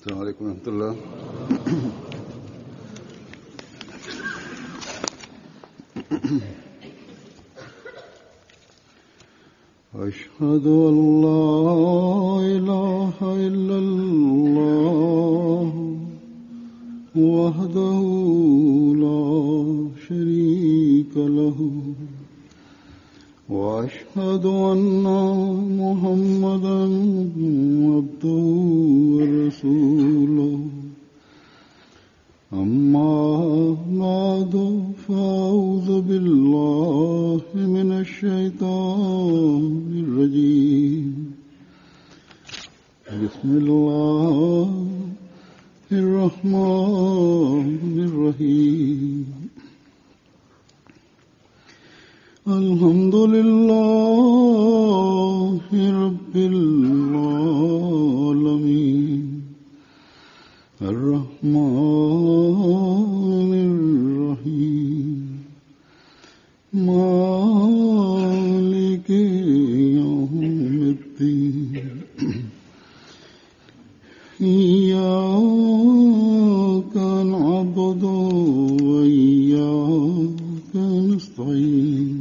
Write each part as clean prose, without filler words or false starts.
السلام عليڪم ورحمة الله. أشهد أن لا إله إلا الله وحده لا شريك له وأشهد أن محمدا عبده ورسوله أما بعد فأعوذ بالله من الشيطان الرجيم بسم الله الرحمن الرحيم الحمد لله رب العالمين الرحمن الرحيم مالك يوم الدين إياك نعبد وإياك نستعين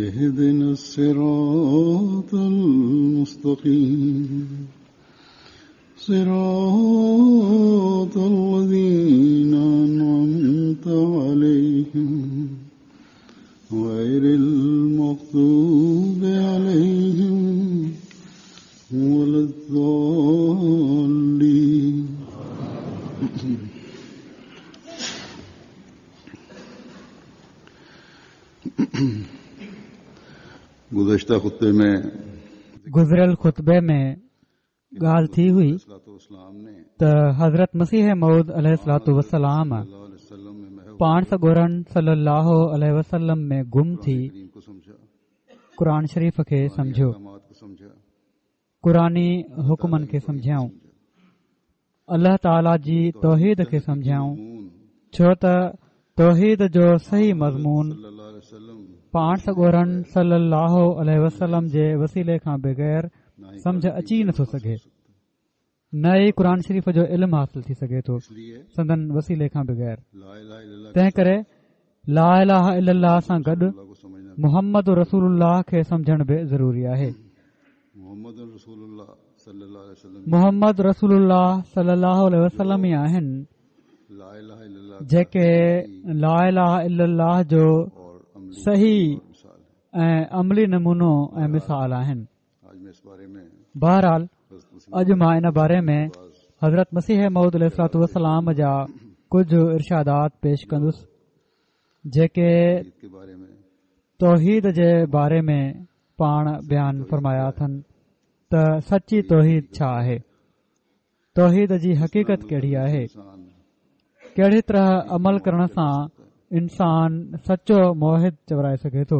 اهدنا الصراط المستقيم صراط الذين أنعمت عليهم غير المغضوب عليهم ولا الضالين. گذشته خطبي ۾ گذريل خطبي ۾ ڳالهه ٿي هئي ته حضرت مسيح موعود عليه الصلوة والسلام پاڻ سڳورن صلي الله عليه وسلم ۾ گم ٿي قرآن شريف کي سمجهيو، قرآني حڪمن کي سمجهيائون، الله تعاليٰ جي توحيد کي سمجهيائون، ڇو ته توحيد جو صحيح مضمون پاڻ سڳورن صلي الله عليه وسلم جي وسيلي کان بغير سمجهه اچي نٿو سگهي، نه ئي قرآن شريف جو علم حاصل ٿي سگهي ٿو سندن وسيلي کان بغير. تنهن ڪري لا اله الا الله سان گڏ محمد رسول الله کي سمجهڻ به ضروري آهي. محمد رسول الله صلي الله عليه وسلم ئي آهن جيڪي لا اله الا الله جو صحيح ۽ عملي نمونو ۽ مثال آهن. بهرحال اڄ مان ان باري ۾ حضرت مسيح موعود عليه الصلوة والسلام جا ڪجهه ارشادات پيش ڪندس جيڪي توحيد جي باري ۾ پاڻ بيان فرمايا اٿن ته سچي توحيد ڇا آهي، توحيد جي حقيقت ڪهڙي آهي، ڪهڙي طرح عمل ڪرڻ سان انسان سچو موحد چورائي سگهي ٿو.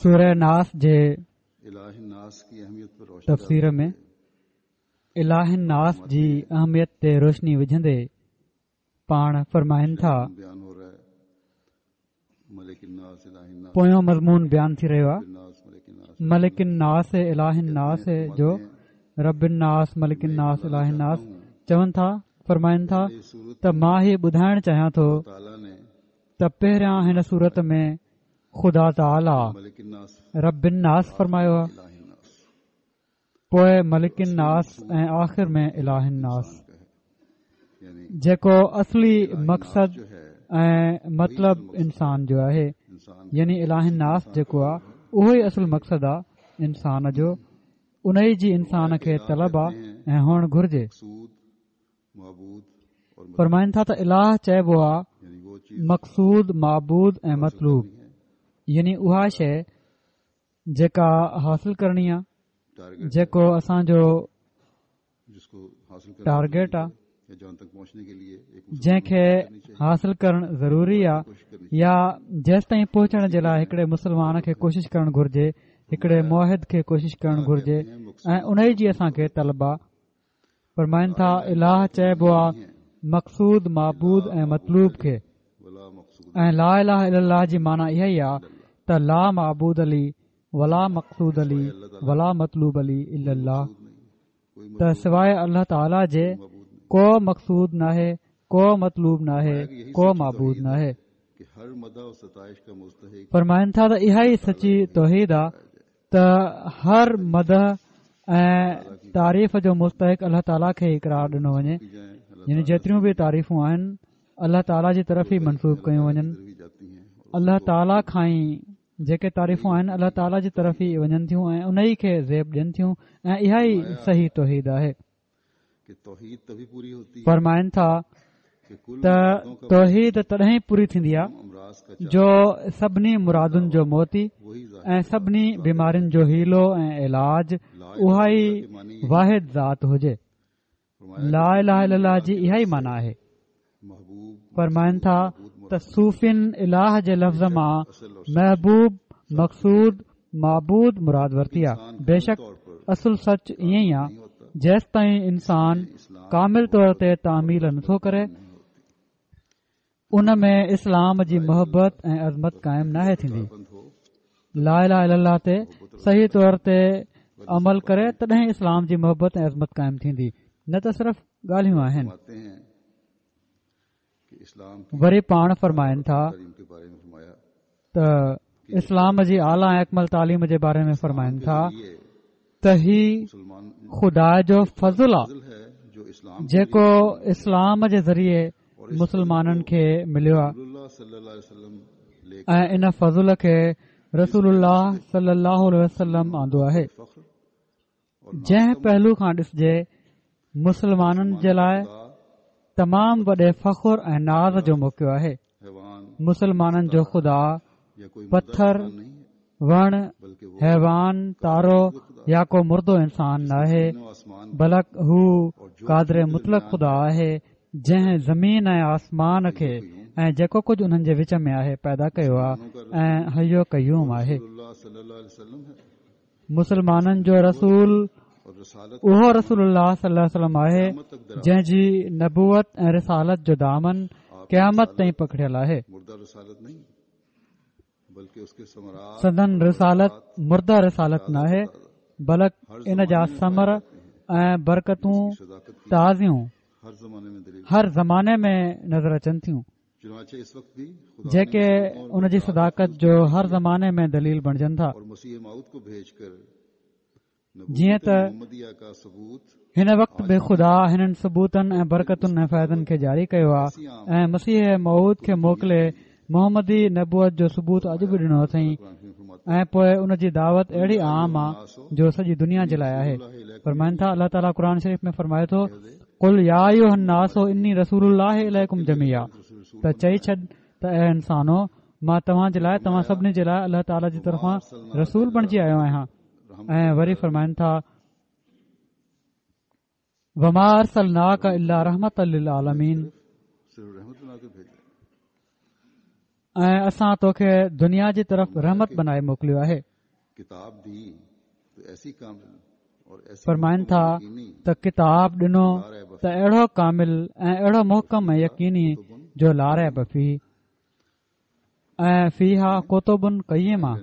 سوره ناس جي تفسير ۾ اله الناس جي اهميت تي روشني وجهندي پاڻ فرمائن ٿا، پويون مضمون بيان ٿي رهيو آهي ملڪ الناس اله الناس جو رب الناس ملڪ الناس اله الناس چون ٿا فرمائن ٿا ته مان هي ٻڌائڻ چاهيان ٿو ته پهريان هن سورت ۾ خدا تعاليٰ رب الناس فرمايو آهي پوء ملڪ الناس ۽ آخر ۾ اله الناس جيڪو اصلي مقصد ۽ مطلب انسان جو آهي يعني اله الناس جيڪو آهي اهو ئي اصل مقصد آهي انسان جو ان ئي جي انسان کي طلب آهي ۽ هئڻ گهرجي فرمائن ٿا ته اله چئبو آهي مقصود معبود ۽ مطلوب يعني اها شيء جيڪا حاصل ڪرڻي آ جيڪو اسان جو ٽارگيٽ آ جنهن کي حاصل ڪرڻ ضروري آ يا جيستائين پهچڻ جي لاء هڪڙي مسلمان کي ڪوشش ڪرڻ گهرجي هڪڙي موحد کي ڪوشش ڪرڻ گهرجي ۽ ان ئي جي اسان کي طلب آ فرمائن ٿا اله چئبو آ مقصود معبود ۽ مطلوب کي ۽ لا اله الا الله جي معنيٰ اها ئي آ ته لا معبود لي ولا مقصود لي ولا مطلوب لي الا الله ته سواء الله تعاليٰ جي ڪو مقصود ناهي ڪو مطلوب ناهي ڪو معبود ناهي. فرمائن ٿا ته اها ئي سچي توحيد آ ته هر مدح ۽ تعريف جو مستحق الله تعاليٰ کي ئي قرار ڏنو وڃي يعني جيتريون به تعريفون آهن الله تعاليٰ جي طرف ئي منسوب ڪيون وڃن الله تعاليٰ کان ئي جيڪي تعريفون آهن الله تعاليٰ جي طرف ئي وڃن ٿيون ۽ ان ئي کي زيب ڏين ٿيون ۽ اها ئي صحيح توحيد آهي فرمائن ٿا ته توحيد تڏهن ئي پوري ٿيندي آهي جو سڀني مرادن جو موتي ۽ سڀني بيمارين جو حيلو ۽ علاج اها ئي واحد ذات هجي لا اله الا الله جي اها ئي معنيٰ آهي فرمائن ٿا ته صوفين اله جي لفظ مان محبوب مقصود معبود مراد ورتي آ بيشڪ اصل سچ ائين ئي آ جيستائين انسان ڪامل طور تي تعميل نٿو ڪري ان ۾ اسلام جي محبت ۽ عظمت قائم ناهي ٿيندي لا اله الا الله تي صحيح طور تي عمل ڪري تڏهن اسلام جي محبت ۽ عظمت قائم ٿيندي نه ته صرف ڳالهيون آهن وري پاڻ فرمائن ٿا ته اسلام جي اعليٰ ۽ اڪمل تعليم جي باري ۾ فرمائن ٿا ته هي خدا جو فضل آ جيڪو اسلام جي ذريعي مسلمانن کي مليو آ ۽ ان فضل کي رسول الله صلي الله عليه وسلم آندو آهي جنهن پهلو کان ڏسجي مسلمانن جي لاء تمام وڏي فخر ۽ ناز جو موقعو آهي مسلمانن جو خدا پٿر وڻ حيوان تارو يا ڪو مردو انسان ناهي بلڪ هو قادر مطلق خدا آهي جنهن زمين ۽ آسمان کي ۽ جيڪو ڪجهه انهن جي وچ ۾ آهي پيدا ڪيو آهي ۽ حي و قيوم آهي مسلمانن جو رسول اهو رسول الله صلي الله عليه وسلم آهي جنهن جي نبوت ۽ رسالت جو دامن قيامت تائين پکڙيل آهي سندن رسالت مرده رسالت ناهي بلڪ ان جا ثمر ۽ برڪتون تازيون هر زماني ۾ نظر اچن ٿيون جيڪي ان جي صداقت جو هر زماني ۾ دليل بڻجن ٿا جيئن ته هن وقت به خدا هنن ثبوتن ۽ برڪتن ۽ فائدن کي جاري ڪيو آهي ۽ مسيح موعود کي موڪلي محمدي نبوت جو ثبوت اڄ به ڏنو اٿئين ۽ پوء ان جي دعوت اهڙي عام آ جو سڄي دنيا جي لاء آهي فرمائن ٿا الله تعاليٰ قرآن شريف ۾ فرمائي ٿو قل يا ايها الناس اني رسول الله اليڪم جميعا ته چئي ڇڏ ته اي انسانو مان توهان جي لاء توهان سڀني جي لاء الله تعاليٰ جي طرفان رسول بڻجي آيو آهيان ۽ وري فرمائن ٿا وما ارسلناڪ الا رحمة للعالمين ۽ اسان توکي دنيا جي طرف رحمت بنائي موڪليو آهي فرمائن ٿا ته ڪتاب ڏنو ته اهڙو ڪامل ۽ اهڙو محڪم ۽ يقيني جو لا ريب فيه ۽ فيها ڪتب قيمه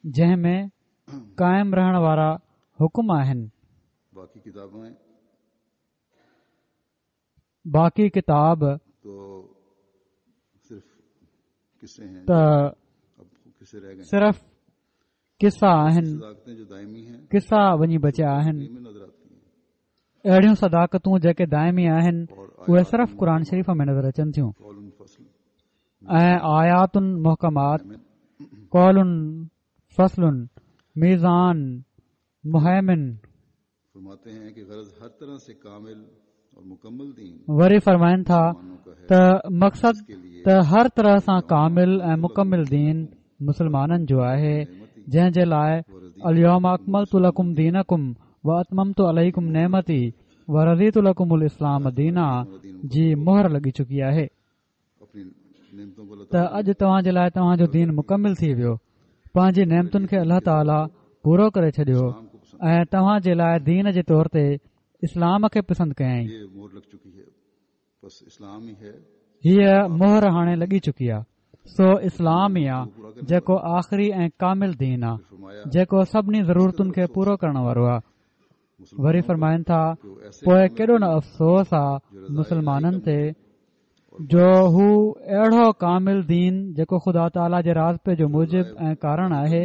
جنهن ۾ قائم رهڻ وارا حڪم آهن. باقي ڪتاب ته صرف قصا آهن، قصا وڃي بچيا آهن. اهڙيون صداقتون جيڪي دائمي آهن اهي صرف قرآن شريف ۾ نظر اچن ٿيون ۽ آيات محڪمات قول فصل ميزان مهيمن وري فرمائن ٿا ته مقصد ته هر طرح سان ڪامل ۽ مڪمل دين مسلمانن جو آهي جنهن جي لاء اليوم اڪملت لڪم دينڪم واتممت عليڪم نعمتي ورضيت لڪم الاسلام دينا جي مهر لڳي چڪي آهي ته اڄ توهان جي لاء توهان جو دين مڪمل ٿي ويو پنهنجي نعمتن کي الله تعاليٰ پورو ڪري ڇڏيو ۽ توهان جي لاء دين جي طور تي اسلام کي پسند ڪيائين هيء مهر هاڻي لڳي چڪي آهي. سو اسلام ئي آ جيڪو آخري ۽ ڪامل دين آ جيڪو سڀني ضرورتن کي پورو ڪرڻ وارو آ. وري فرمائن ٿا پوء ڪيڏو نه افسوس آ مسلمانن تي جو هو اهڙو ڪامل دين جيڪو خدا تعاليٰ جي راضپي جو موجب ۽ ڪارڻ آهي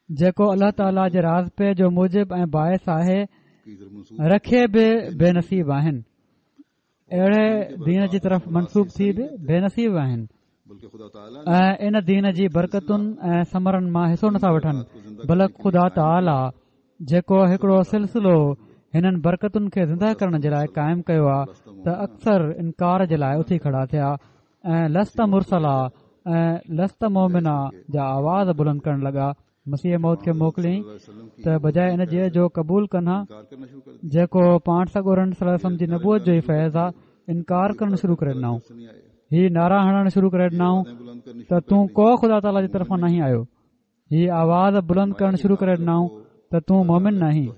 جيڪو الله تعاليٰ جي راضپي جو موجب ۽ باعث آهي رکي به بي نصيب آهن اهڙي دين جي طرف منسوب ٿي به بي نصيب آهن ۽ ان دين جي برڪتن ۽ ثمرن مان حصو نٿا وٺن بلڪ خدا تعاليٰ جيڪو هڪڙو سلسلو هنن برڪتن کي زنده ڪرڻ جي لاء قائم ڪيو آهي ته اڪثر انڪار جي لاء اٿي کڙا ٿيا ۽ لست مرسلا ۽ لست مومنا جا آواز بلند ڪرڻ لڳا مسيح موعود کي موڪليائين ته بجاء ان جي جو قبول ڪن ها جيڪو پاڻ سڳورن صلي الله عليه وسلم جي نبوت جو ئي فيض آ انڪار ڪرڻ شروع ڪري ڏنائون هي نعرا هڻڻ شروع ڪري ڏنائون ته تون ڪو خدا تعاليٰ جي طرفان ناهين آيو هي آواز بلند ڪرڻ شروع ڪري ڏنائون ته تون مومن ناهين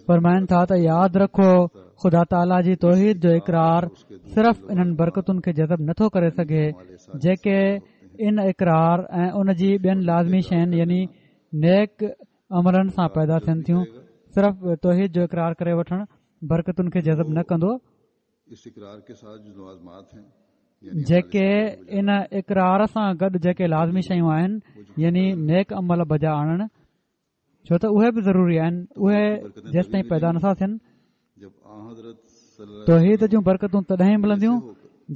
فرمائن ٿا ته ياد رکو خدا تعاليٰ جي توحيد جو اقرار صرف انهن برڪتن کي جذب نٿو ڪري سگهي جيڪي ان اقرار ۽ ان جي ٻين لازمي شين يعني نيڪ عملن سان پيدا ٿين ٿيون صرف توحيد جو اقرار ڪري وٺڻ برڪتن کي جذب نه ڪندو جيڪي ان اقرار سان گڏ جيڪي لازمي شيون آهن يعني نيڪ عمل بجا آڻڻ ڇو ته اهي به ضروري آهن اهي جيستائين پيدا نٿا ٿين توحيد جون برڪتون تڏهن ئي ملنديون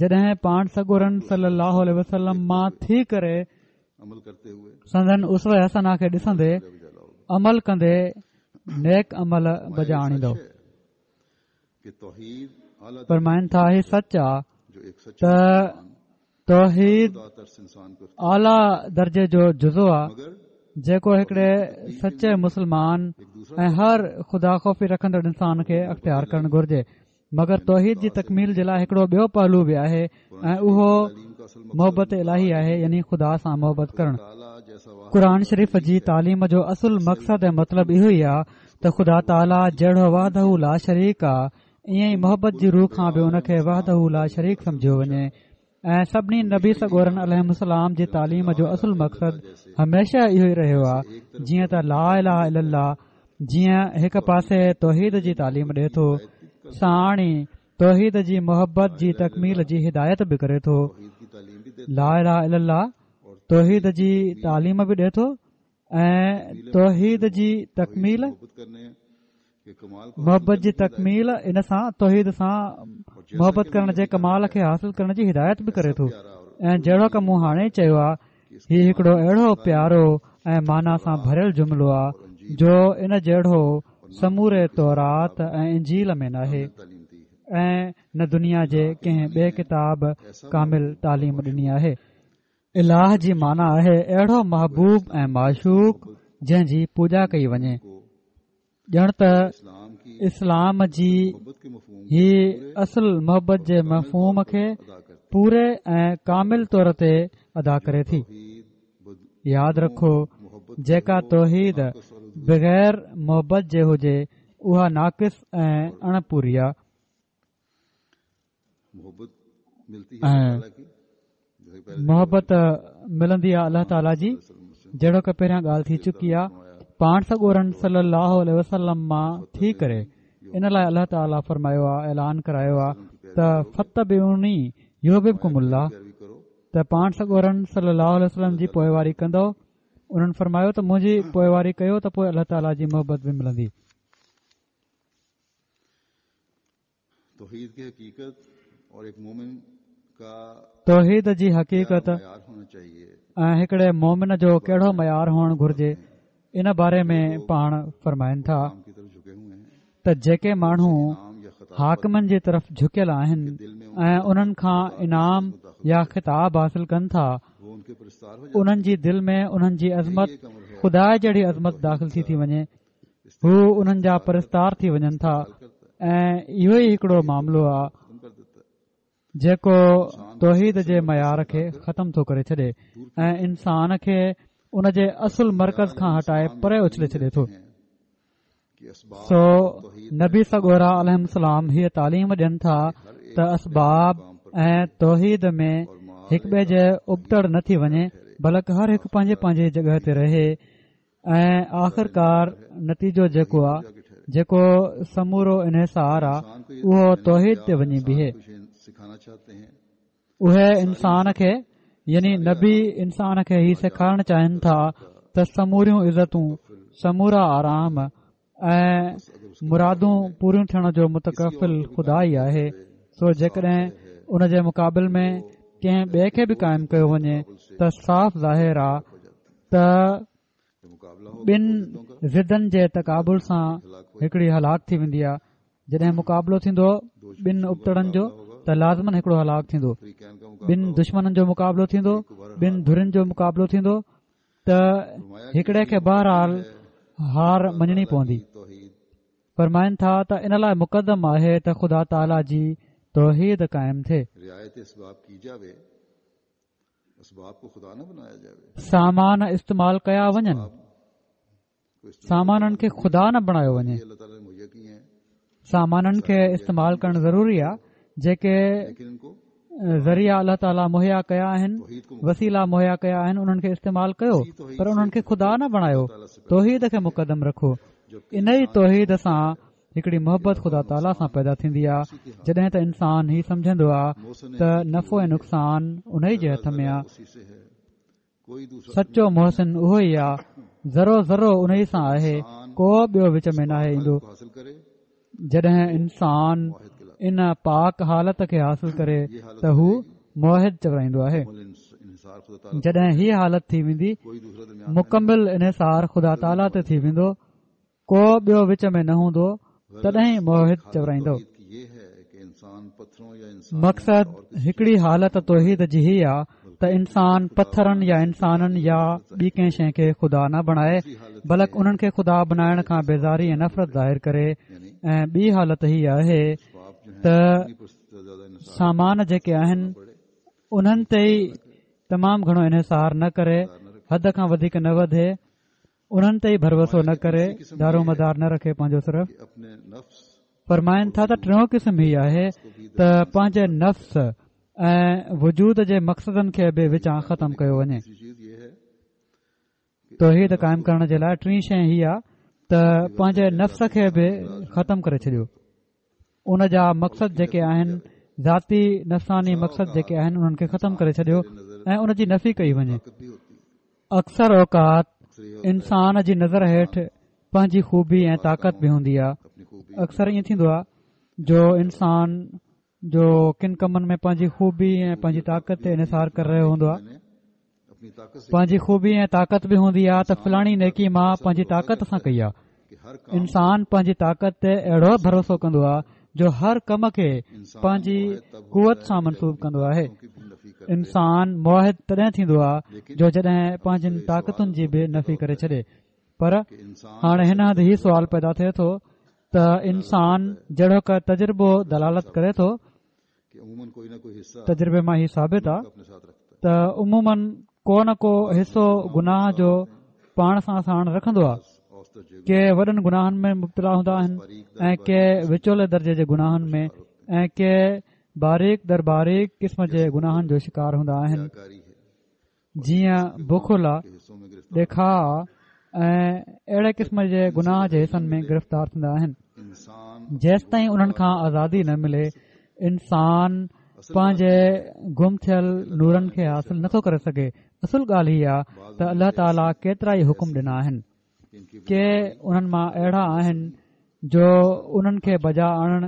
جڏهن پاڻ سڳورن صلي الله عليه وسلم مان ٿي ڪري سندن اسوه حسنه کي ڏسندي عمل ڪندي نيڪ عمل بجا آڻيندو فرمائن ٿا هي سچ آ ته توحيد اعليٰ درجي جو جزو آ جيڪو هڪڙي سچي مسلمان ۽ هر خدا خوفي رکندڙ انسان کي اختيار ڪرڻ گهرجي مگر توحيد جي تڪميل جي لاء هڪڙو ٻيو پهلو به آهي ۽ اهو محبت الاهي آهي يعني خدا سان محبت ڪرڻ قرآن شريف جي تعليم جو اصل مقصد ۽ مطلب اهو ئي آ ته خدا تعاليٰ جهڙو وحده لا شريڪ آ ائين ئي محبت جي رو کان به ان کي وحده لا شريڪ سمجهيو وڃي ۽ سڀني نبي سڳورن عليهم السلام جي تعليم جو اصل مقصد هميشه اهو ئي رهيو آهي جيئن ته لا اله الا الله جيئن هڪ پاسي توحيد جي تعليم ڏي ٿو ساڻ ئي توحيد جي محبت جي تڪميل جي هدايت به ڪري ٿو لا اله الا الله توحيد جي تعليم به ڏي ٿو ۽ توحيد جي تڪميل محبت جي تڪميل ان سان توحيد سان محبت ڪرڻ جي ڪمال کي حاصل ڪرڻ جي هدايت به ڪري ٿو ۽ جهڙوڪ مون هاڻي چيو آهي هي هڪڙو اهڙو پيارو ۽ معنيٰ سان ڀريل جملو آهي جو ان جهڙو سموري تورات ۽ انجيل ۾ ناهي ۽ نه دنيا جي ڪنهن ٻئي ڪتاب ڪامل تعليم ڏني آهي اله جي معنيٰ آهي اهڙو محبوب ۽ معشوق جنهن جي پوڄا ڪئي وڃي ڄڻ ته اسلام جي هي اصل محبت جي مفهوم کي پوري ۽ ڪامل طور تي ادا ڪري ٿي. ياد رکو جيڪا توحيد بغير محبت جي هجي اها ناقص ۽ اڻ پوري آ. ۽ محبت ملندي آهي الله تعاليٰ جي جهڙوڪ پهريان ڳالهه ٿي چڪي آهي پاڻ سڳورن صلي الله عليه وسلم مان ٿي ڪري ان لاء الله تعاليٰ فرمايو آهي اعلان ڪرايو آهي ته فاتبعوني يحببڪم الله ته پاڻ سڳورن صلي الله عليه وسلم جي پوئواري ڪندو انهن فرمايو ته منهنجي پوئواري ڪيو ته پوء الله تعاليٰ جي محبت به ملندي توحيد ڪي حقيقت اور ايڪ مومن ڪا توحيد جي حقيقت ۽ هڪڙي مومن جو ڪهڙو معيار هئڻ گهرجي ان باري ۾ پاڻ فرمائن ٿا ته جيڪي ماڻهو حاڪمن جي طرف جهڪيل آهن ۽ انهن کان انعام يا خطاب حاصل ڪن ٿا انهن جي دل ۾ انهن جي عظمت خدا جهڙي عظمت داخل ٿي ٿي وڃي هو انهن جا پرستار ٿي وڃن ٿا ۽ اهو ئي هڪڙو معاملو آهي جيڪو توحيد جي معيار کي ختم ٿو ڪري ڇڏي ۽ انسان کي ان جي اصل مرڪز کان هٽائي پري اڇلي ڇڏي ٿو سو نبي سڳورا عليهم السلام هيء تعليم ڏين ٿا ته اسباب ۽ توحيد ۾ هڪ ٻئي جي ابتڙ نه ٿي وڃي بلڪ هر هڪ پنهنجي پنهنجي جڳهه تي رهي ۽ آخرڪار نتيجو جيڪو آ جيڪو سمورو انحصار آ اهو توحيد تي وڃي بيهي. اهي انسان کي يعني نبي انسان کي هي سيکارڻ چاهين ٿا ته سموريون عزتون سمورا آرام ۽ مرادون پوريون ٿيڻ جو متڪفل خدا ئي آهي سو جيڪڏهن ان جي مقابل ۾ ڪنهن ٻئي کي به قائم ڪيو وڃي ته صاف ظاهر آ ته ٻن ضدن جي تقابل سان هڪڙي هلاڪ ٿي ويندي آ جڏهن مقابلو ٿيندو ٻن ابتڙن جو ته لازماً هڪڙو هلاڪ ٿيندو ٻن دشمنن جو مقابلو ٿيندو ٻن ڌرين جو مقابلو ٿيندو ته هڪڙي کي بهرحال هار مڃڻي پوندي. فرمائن ٿا ته ان لاء مقدم آهي ته خدا تعاليٰ جي توحيد قائم ٿئي. سامان استعمال ڪيا وڃن. سامانن کي خدا نه بڻايو وڃي. سامانن کي استعمال ڪرڻ ضروري آهي جيڪي ذريعا الله تعاليٰ مهيا ڪيا آهن وسيلا مهيا ڪيا آهن انهن کي استعمال ڪيو پر انهن کي خدا نه بڻايو توحيد کي مقدم رکو ان ئي توحيد سان هڪڙي محبت خدا تعاليٰ سان پيدا ٿيندي آهي جڏهن ته انسان هي سمجهندو آهي ته نفعو ۽ نقصان ان ئي جي هٿ ۾ آهي سچو محسن اهو ئي آ، ذرو ذرو انهي سان آهي، ڪو ٻيو وچ ۾ ناهي ايندو. جڏهن انسان ان پاڪ حالت کي حاصل ڪري ته هو موحد چورائيندو آهي. جڏهن هي حالت ٿي ويندي، مڪمل انحصار خدا تعاليٰ تي ٿي ويندو، ڪو ٻيو وچ ۾ نه هوندو تڏهن ئي موحد چورائيندو. مقصد هڪڙي حالت توحيد جي هي آ ته انسان پٿرن يا انسانن يا ٻي ڪنهن شيء کي خدا نه بڻائي بلڪ انهن کي خدا بنائڻ کان بيزاري ۽ نفرت ظاهر ڪري ۽ ٻي حالت هي آهي ته سامان جيڪي آهن انهن تي ئي تمام گهڻو انحصار نه ڪري حد کان وڌيڪ نه وڌي انهن تي ئي ڀروسو نه ڪري دارومدار نه رکي پنهنجو صرف فرمائن ٿا ته ٽيون قسم هي آهي ته پنهنجي نفس ۽ وجود جي مقصدن کي به وچان ختم ڪيو وڃي توحيد قائم ڪرڻ جي لاء ٽين شيء هي آهي ته پنهنجي نفس کي به ختم ڪري ڇڏيو ان جا مقصد جيڪي آهن ذاتي نفساني مقصد جيڪي آهن انهن کي ختم ڪري ڇڏيو ۽ ان جي نفي ڪئي وڃي اڪثر اوقات انسان جي نظر هيٺ پنهنجي خوبي ۽ طاقت به هوندي آهي اڪثر ائين ٿيندو آهي جو انسان جو ڪن ڪمن ۾ پنهنجي خوبي ۽ پنهنجي طاقت تي انحصار ڪري رهيو هوندو آهي پنهنجي خوبي ۽ طاقت به هوندي آهي ته فلاڻي نيڪي مان پنهنجي طاقت سان ڪئي آهي انسان پنهنجي طاقت تي اهڙو ڀروسو ڪندو آهي جو هر ڪم کي پنهنجي قوت سان منسوب ڪندو آهي انسان موحد تڏهن ٿيندو آهي جو جڏهن پنهنجين طاقتن جي به نفي ڪري ڇڏي پر هاڻي هن هنڌ هي سوال پيدا ٿئي ٿو ته انسان جهڙوڪ تجربو دلالت ڪري ٿو تجربي مان هي ثابت آ ته عموماً ڪو نه ڪو حصو گناهه جو پاڻ سان ساڻ رکندو آ ڪي وڏن گناهن ۾ مبتلا هوندا آهن ۽ ڪي وچولي درجي جي گناهن ۾ ۽ ڪي باريڪ در باريڪ قسم جي گناهن جو شڪار هوندا آهن جيئن بخل آ، ڏيکاء آ ۽ اهڙي قسم جي گناهه جي حصن ۾ گرفتار ٿيندا آهن. جيستائين انهن کان آزادي نه ملي، انسان پنهنجي گم ٿيل نورن کي حاصل نٿو ڪري سگهي. اصل ڳالهه هي آ ته الله تعاليٰ ڪيترائي حڪم ڏنا آهن. ڪي انهن مان اهڙا آهن جو انهن کي بجا آڻڻ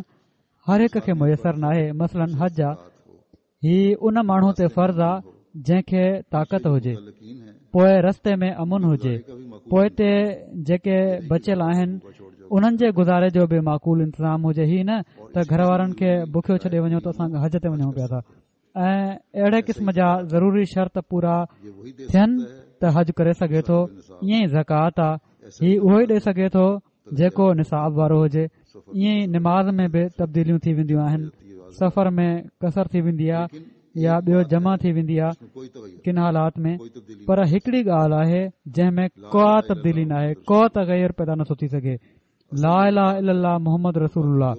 هر هڪ کي ميسر ناهي، مثلاً حج آ. هي ان ماڻهو تي فرض آ جنهن کي طاقت هجي پوء رستي ۾ امن هجي پوئتي جيڪي بچيل آهن انهن جي گذاري جو به معقول انتظام هجي هي نه ته گهر وارن کي بکيو ڇڏي وڃو ته اسان حج تي وڃون پيا ٿا ۽ اهڙي قسم جا ضروري شرط پورا ٿين ته حج ڪري سگهي ٿو ائين ئي زڪوات آ هي اهو ئي ڏئي سگهي ٿو جيڪو نصاب وارو هجي ائين ئي نماز ۾ به تبديليون ٿي وينديون آهن سفر ۾ قصر ٿي ويندي آهي يا ٻيو جمع ٿي ويندي آهي ڪن حالات ۾ پر هڪڙي ڳالهه آهي جنهن ۾ ڪا تبديلي ناهي ڪو تغير پيدا نٿو ٿي سگهي لا اله الا الله محمد رسول الله.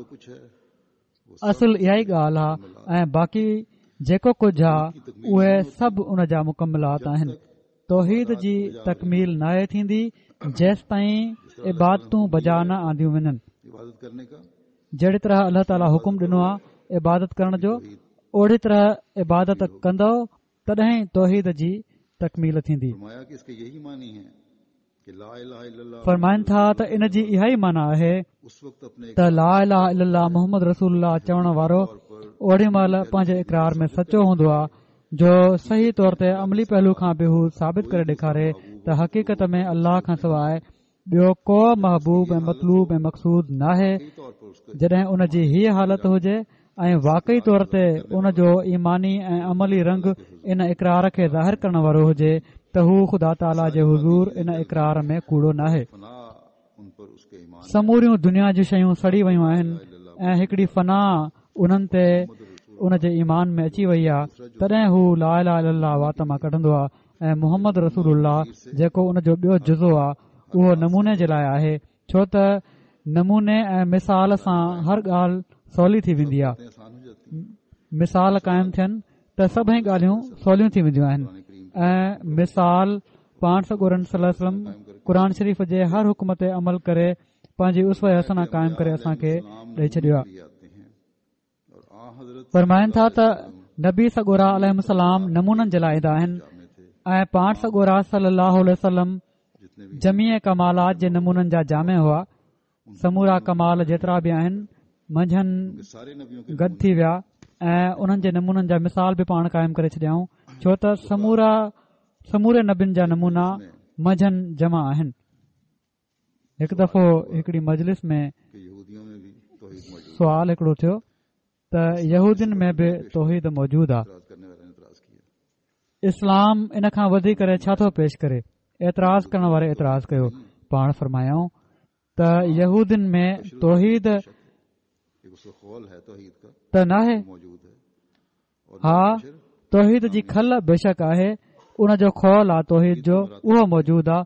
اصل اها ئي ڳالهه آهي ۽ باقي جيڪو ڪجهه آهي اهي سڀ ان جا مڪملات آهن. توحيد جي تڪميل ناهي ٿيندي جيستائين عبادتون بجا نه آنديون وڃن. جهڙي طرح الله تعاليٰ حڪم ڏنو آهي عبادت ڪرڻ جو اوڙي طرح عبادت ڪندؤ تڏهن توحيد جي تڪميل ٿيندي. فرمائن ٿا ته ان جي اها ئي معنيٰ آهي ته لا اله الا الله محمد رسول الله چوڻ وارو اوڏي مهل پنهنجي اقرار ۾ سچو هوندو آهي جو صحيح طور تي عملي پهلو کان به هو ثابت ڪري ڏيکاري ته حقيقت ۾ الله کان سواء ٻيو ڪو محبوب ۽ مطلوب ۽ مقصود ناهي جڏهن ان جي هيء حالت هجي ۽ واقعي طور تي ان جو ايماني ۽ عملي رنگ ان اقرار کي ظاهر ڪرڻ وارو هجي ته هو خدا تعاليٰ جي حضور ان اقرار ۾ ڪوڙو ناهي. سموريون دنيا جون شيون سڙي ويون آهن ۽ هڪڙي فنا انهن تي ان جي ايمان ۾ اچي وئي آهي تڏهن هو لا اله الا الله وات مان ڪڍندو آهي ۽ محمد رسول الله جيڪو ان جو ٻيو جزو آهي اهو نموني جي لاء آهي ڇو ته نموني ۽ مثال سان هر ڳالهه سولي ٿي ويندي آهي مثال قائم ٿين ته سڀئي ڳالهيون سوليون ٿي وينديون آهن ۽ مثال پاڻ سڳورن صلي الله عليه وسلم قرآن شريف جي هر حڪم تي عمل ڪري پنهنجي اسوه حسنه قائم ڪري اسان کي ڏئي ڇڏيو آهي فرمائن ٿا ته نبي سڳورا عليهم السلام نمونن جي لاء ايندا آهن ۽ پاڻ سڳورا صلي الله عليه وسلم جميع ڪمالات جي نمونن جا جامع هئا سمورا ڪمال جيترا به آهن منجهن گڏ ٿي ويا ۽ انهن جي نمونن جا مثال به پاڻ قائم ڪري ڇڏيائون ڇو ته سمورا سموري نبين جا نمونا منجهن جمع آهن هڪ دفعو هڪڙي مجلس ۾ سوال هڪڙو ٿيو ته يهودين ۾ به توحيد موجود آ اسلام ان کان وڌي ڪري ڇا ٿو پيش ڪري؟ اعتراض ڪرڻ واري اعتراض ڪيو. پاڻ فرمايائون ته يهودين ۾ توحيد ته ناهي. ها توحيد جي کل بيشڪ آهي، ان جو خول آ توحيد جو اهو موجود آ.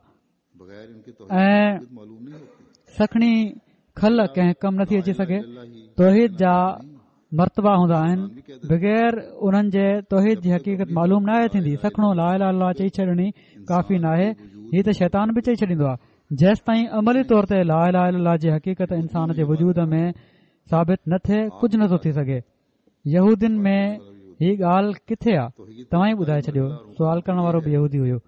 ۽ سکڻي کل ڪنهن ڪم نٿي اچي سگهي توحيد جا مرتبا هوندا آهن بغير انهن جي توحيد جي حقيقت معلوم ناهي ٿيندي سکڻو لا اله الا الله چئي ڇڏڻي ڪافي ناهي هي ته شيطان به چئي ڇڏيندو آهي جيستائين عملي طور تي لا اله الا الله جي حقيقت انسان جي وجود ۾ ثابت نه ٿئي ڪجهه نٿو ٿي سگهي يهودين ۾ هي ڳالهه ڪٿي آ توهان ئي ٻڌائي ڇڏيو سوال ڪرڻ وارو به يهودي هيو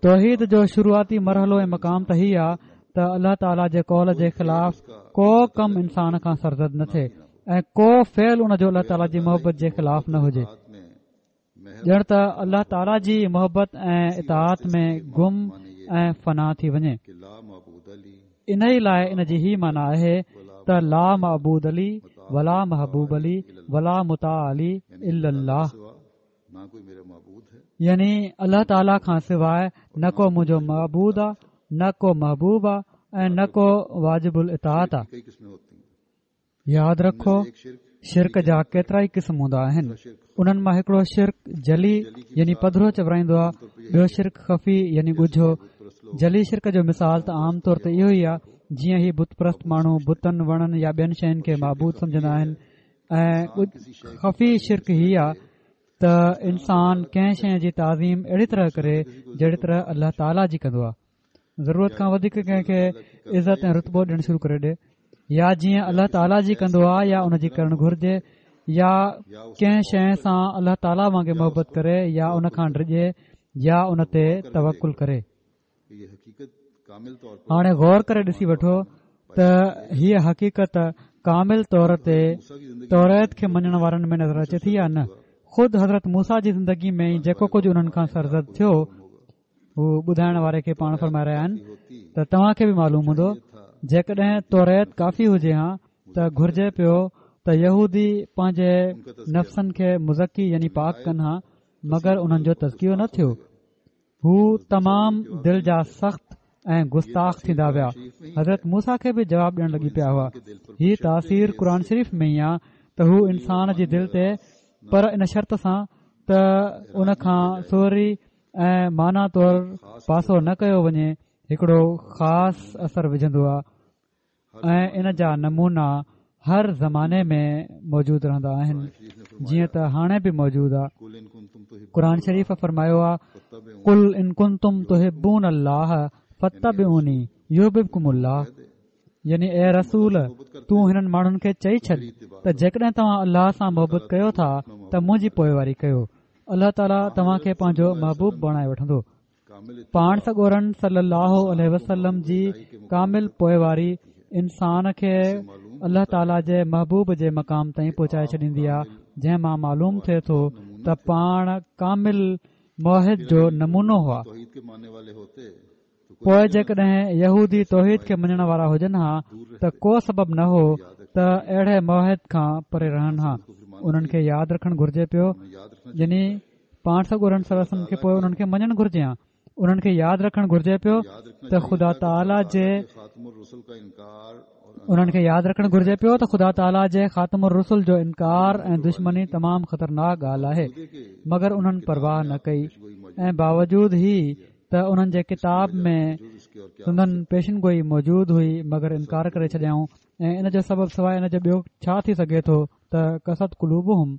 توحيد جو شروعاتي مرحلو ۽ مقام ته هي آ ته الله تعاليٰ جي قول جي خلاف ڪو ڪم انسان کان سرزد نه ٿئي ۽ ڪو فعل ان جو الله تعاليٰ جي محبت جي خلاف نه هجي ڄڻ ته الله تعاليٰ جي محبت ۽ اطاعت ۾ گم ۽ فنا ٿي وڃي انهي لاء ان جي هي معنيٰ آهي ته لا معبود لي ولا محبوب لي ولا مطاع لي الا الله يعني الله تعاليٰ کان سواء نه ڪو منهنجو معبود آ نه ڪو محبوب آ ۽ نه ڪو واجب الاطاعت آ. ياد رکو شرڪ جا ڪيترائي قسم هوندا آهن انهن مان هڪڙو شرڪ جلي يعني پڌرو چورائيندو آ ٻيو شرڪ خفي يعني ڳجهو جلي شرڪ جو مثال ته عام طور تي اهو ئي آ جيئن هي بت پرست ماڻهو بتن وڻن يا ٻين شين کي معبود سمجهندا آهن ۽ خفي شرڪ هي آ ته انسان ڪنهن شيء جي تعظيم اهڙي طرح ڪري جهڙي طرح الله تعاليٰ جي ڪندو آهي ضرورت کان وڌيڪ ڪنهن کي عزت ۽ رتبو ڏيڻ شروع ڪري ڏي يا جيئن الله تعاليٰ جي ڪندو آهي يا ان جي ڪرڻ گهرجي يا ڪنهن شيء سان الله تعاليٰ وانگي محبت ڪري يا ان کان ڊڄي يا ان تي توڪل ڪري هاڻي غور ڪري ڏسي وٺو ته هيء حقيقت ڪامل طور تي توريت کي مڃڻ وارن ۾ نظر اچي ٿي يا نه خود حضرت موسيٰ جي زندگي ۾ ئي جيڪو ڪجهه انهن کان سرزد ٿيو هو ٻڌائڻ واري کي پاڻ فرمائي رهيا آهن ته توهان کي به معلوم هوندو جيڪڏهن توريت ڪافي هجي ها ته گهرجي پيو ته يهودي پنهنجي نفسن کي مزڪي يعني پاڪ ڪن ها مگر انهن جو تزڪيو نه ٿيو هو تمام دل جا سخت ۽ گستاخ ٿيندا ويا. حضرت موسيٰ کي به جواب ڏيڻ لڳي پيا هئا. هي تاثير قرآن شريف ۾ ئي آ ته هو انسان جي دل تي پر ان شرط سان ته ان کان صوري ۽ معنيٰ طور پاسو نه ڪيو وڃي هڪڙو خاص اثر وجهندو آ ۽ ان جا نمونا هر زماني ۾ موجود رهندا آهن جيئن ته هاڻي به موجود آ. قرآن شريف فرمايو آ قل ان ڪنتم تحبون الله فاتبعوني يحببڪم الله يعني اي رسول تون هنن ماڻهن کي چئي ڇڏ ته جيڪڏهن توهان الله سان محبت ڪيو ٿا ته منهنجي پوئواري ڪيو الله تعاليٰ توهان کي پنهنجو محبوب بڻائي وٺندو. پاڻ سڳورن صلي الله عليه وسلم جي ڪامل پوئواري انسان کي الله تعاليٰ جي محبوب جي مقام تائين پهچائي ڇڏيندي آهي جنهن مان معلوم ٿئي ٿو ته پاڻ ڪامل موحد جو نمونو هئا. پوء جيڪڏهن يهودي توحيد کي مڃڻ وارا هجن ها ته ڪو سبب نه هو ته اهڙي موحد کان پري رهن ها. انهن کي ياد رکڻ گهرجي پيو يعني پاڻ سڳورن صلي الله عليه وسلم کي پوء انهن کي مڃڻ گهرجي ها. انهن کي ياد رکڻ گهرجي پيو ته خدا تعاليٰ جي انهن کي ياد رکڻ گهرجي پيو ته خدا تعاليٰ جي خاتم الرسل جو انڪار ۽ دشمني تمام خطرناڪ ڳالهه آهي مگر انهن پرواهه نه ڪئي ۽ باوجود هي ته انهن جي ڪتاب ۾ سندن پيشن گوئي موجود هئي مگر انڪار ڪري ڇڏيائون ۽ ان جو سبب سواء ان جو ٻيو ڇا ٿي سگهي ٿو ته قست قلوبهم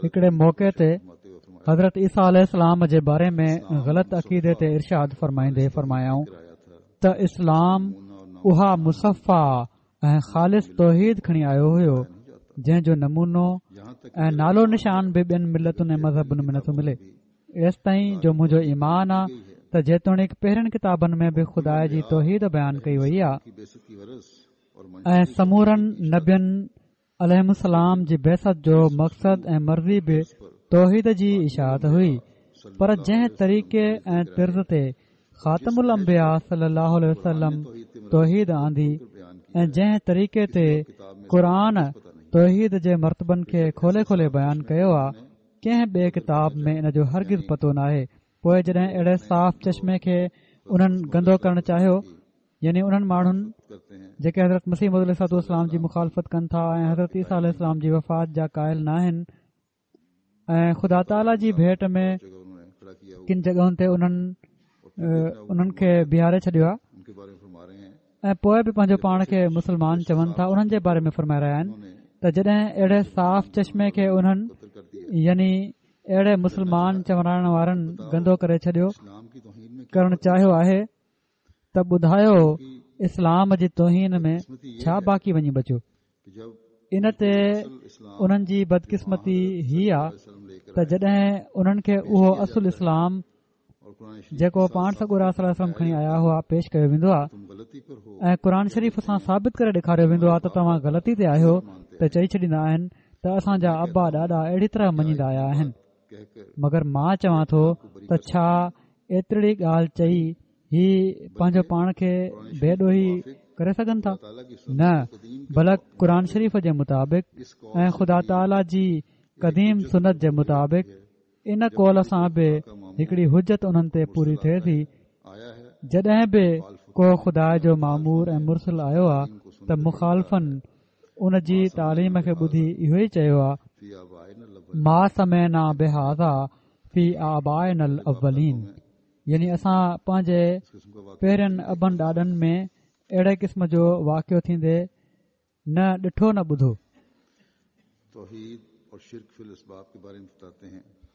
هڪڙي موقعي تي حضرت عيسيٰ عليه السلام جي باري ۾ غلط عقيدي تي ارشاد فرمائيندي فرمايائون ته اسلام اها مصفيٰ ۽ خالص توحيد کڻي آيو هيو جنهن جو نمونو ۽ نالو نشان به ٻين ملتن ۽ مذهبن ۾ نٿو ملي ايستائين جو منهنجو ايمان آ ته جيتوڻيڪ پهرين ڪتابن ۾ به خدا جي توحيد بيان ڪئي وئي آ ۽ سمورن نبين عليهم السلام جي بعثت جو مقصد ۽ مرضي به توحيد جي اشاعت هئي پر جنهن طريقي ۽ طرز تي خاتم الانبياء صلي الله عليه وسلم توحيد آندي ۽ جنهن طريقي تي قرآن توحيد جي مرتبن کي کولي کولي بيان ڪيو آ ڪنهن ٻئي ڪتاب ۾ ان جو هرگز پتو ناهي پوء جڏهن اهڙي صاف چشمي کي انهن گندو ڪرڻ چاهيو يعني انهن ماڻهن جيڪي حضرت مسيح موعود عليه الصلوة والسلام جي مخالفت ڪن ٿا ۽ حضرت عيسيٰ عليه السلام جي وفات جا قائل ناهن ۽ خدا تعاليٰ جي ڀيٽ ۾ ڪن جڳهن تي انهن انهن کي بيهاري ڇڏيو آهي ۽ پوء به پنهنجو پاڻ کي مسلمان چون ٿا انهن جي باري ۾ فرمائي رهيا آهن ته جڏهن اهڙي صاف چشمي کي انهن يعني اهڙي مسلمان چورائڻ وارن گندو ڪري ڇڏيو ڪرڻ چاهيو آهي ته ٻڌايو اسلام جي توهين ۾ ڇا باقي وڃي بچيو؟ ان تي انهن جي بدقسمتي هي آ ته جڏهن انهن کي اهو اصل اسلام جيڪو پاڻ سڳورا صلي الله عليه وسلم کڻي آيا هئا پيش ڪيو ويندو آ ۽ قرآن شريف سان ثابت ڪري ڏيکاريو ويندو آ ته توهان غلطي تي آهيو ته چئي ڇڏيندا آهن ته اسان جا ابا ڏاڏا اهڙي طرح مڃيندا آيا آهن مگر مان چوان ٿو ته ڇا ايترڙي ڳالهه چئي هي پنهنجو پاڻ کي بي ڏوهي ڪري سگهن ٿا؟ نه بلڪ قرآن شريف جي مطابق ۽ خدا تعاليٰ جي قديم سنت جي مطابق ان قول سان به هڪڙي حجت انهن تي پوري ٿئي ٿي جڏهن به ڪو خدا جو مامور ۽ مرسل آيو آ ته مخالفن ان جي تعليم کي ٻڌي اهو ئي چيو آ ما سمعنا بهذا في آبائنا الاولين يعني اسان پنهنجي پهرين ابن ڏاڏن ۾ اهڙي قسم جو واقعو ٿيندي نه ڏٺو نه ٻڌو.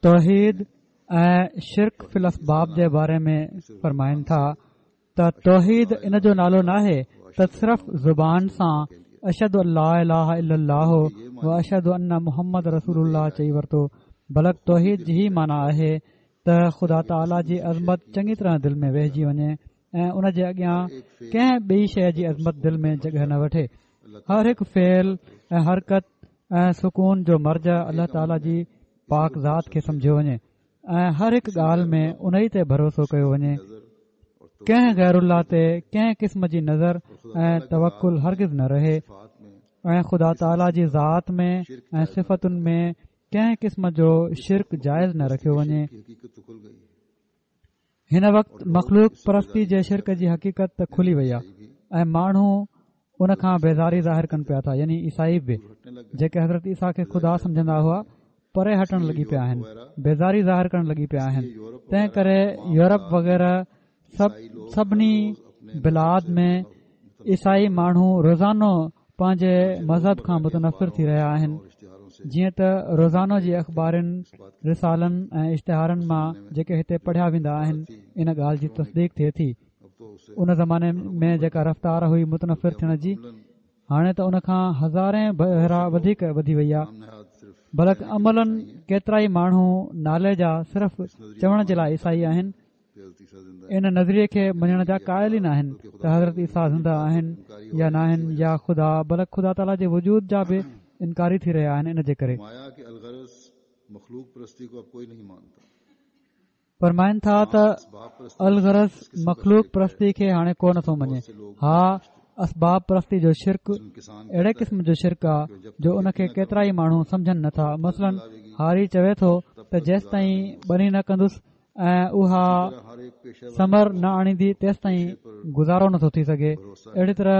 توحيد ۽ شرڪ في الاسباب جي باري ۾ فرمائن ٿا ته توحيد ان جو نالو ناهي ته صرف زبان سان اشهد ان لا اله الا الله و اشهد ان محمد رسول الله چئي ورتو بلڪ توحيد جي هي معنيٰ آهي ته خدا تعاليٰ جي عظمت چڱي طرح دل ۾ ويهجي وڃي ۽ ان جي اڳيان ڪنهن ٻئي شيء جي عظمت دل ۾ جڳهه نه وٺي هر هڪ فعل ۽ حرڪت ۽ سڪون جو مرجع الله تعاليٰ جي پاڪ ذات کي سمجهيو وڃي ۽ هر هڪ ڳالهه ۾ انهي تي ڀروسو ڪيو وڃي ڪنهن غير الله تي ڪنهن قسم جي نذر ۽ توڪل هرگز نه رهي ۽ خدا تعاليٰ جي ذات ۾ ۽ صفتن ۾ ڪنهن قسم جو شرڪ جائز نه رکيو وڃي هن وقت مخلوق پرستي جي شرڪ جي حقيقت ته کلي وئي آهي ۽ ماڻهو ان کان بيزاري ظاهر ڪن پيا ٿا يعني عيسائي به جيڪي حضرت عيسيٰ کي خدا سمجهندا هئا پري هٽڻ لڳي پيا آهن بيزاري ظاهر ڪرڻ لڳي پيا آهن تنهن ڪري يورپ وغيره سڀ سڀني بلاد ۾ عيسائي ماڻهو روزانو پنهنجي مذهب کان متنفر ٿي رهيا آهن جيئن ته روزانو جي اخبارن رسالن ۽ اشتهارن مان جيڪي هتي پڙهيا ويندا آهن ان ڳالهه جي تصديق ٿئي ٿي ان زماني ۾ جيڪا رفتار هئي متنفر ٿيڻ جي هاڻي ته ان کان هزارين ڀيرا وڌيڪ وڌي وئي آهي بلڪ عملاً ڪيترائي ماڻهو نالي جا صرف چوڻ جي لاء عيسائي آهن ان نظريي کي مڃڻ جا قائل ئي ناهن ته حضرت عيسيٰ زنده آهن يا ناهن يا خدا بلڪ خدا تعاليٰ جي وجود جا به انڪاري ٿي رهيا آهن ان جي ڪري. فرمائن ٿا ته الغرض مخلوق پرستي کي هاڻي ڪو نٿو مڃي ها اسباب پرستي جو شرڪ اهڙي قسم جو شرڪ آ جو ان کي ڪيترائي ماڻهو سمجهن نٿا مثلاً هاري چوي ٿو ته جيستائين ٻني نه ڪندس ۽ اها ثمر نه آڻيندي تيستائين گذارو نٿو ٿي سگهي اهڙي طرح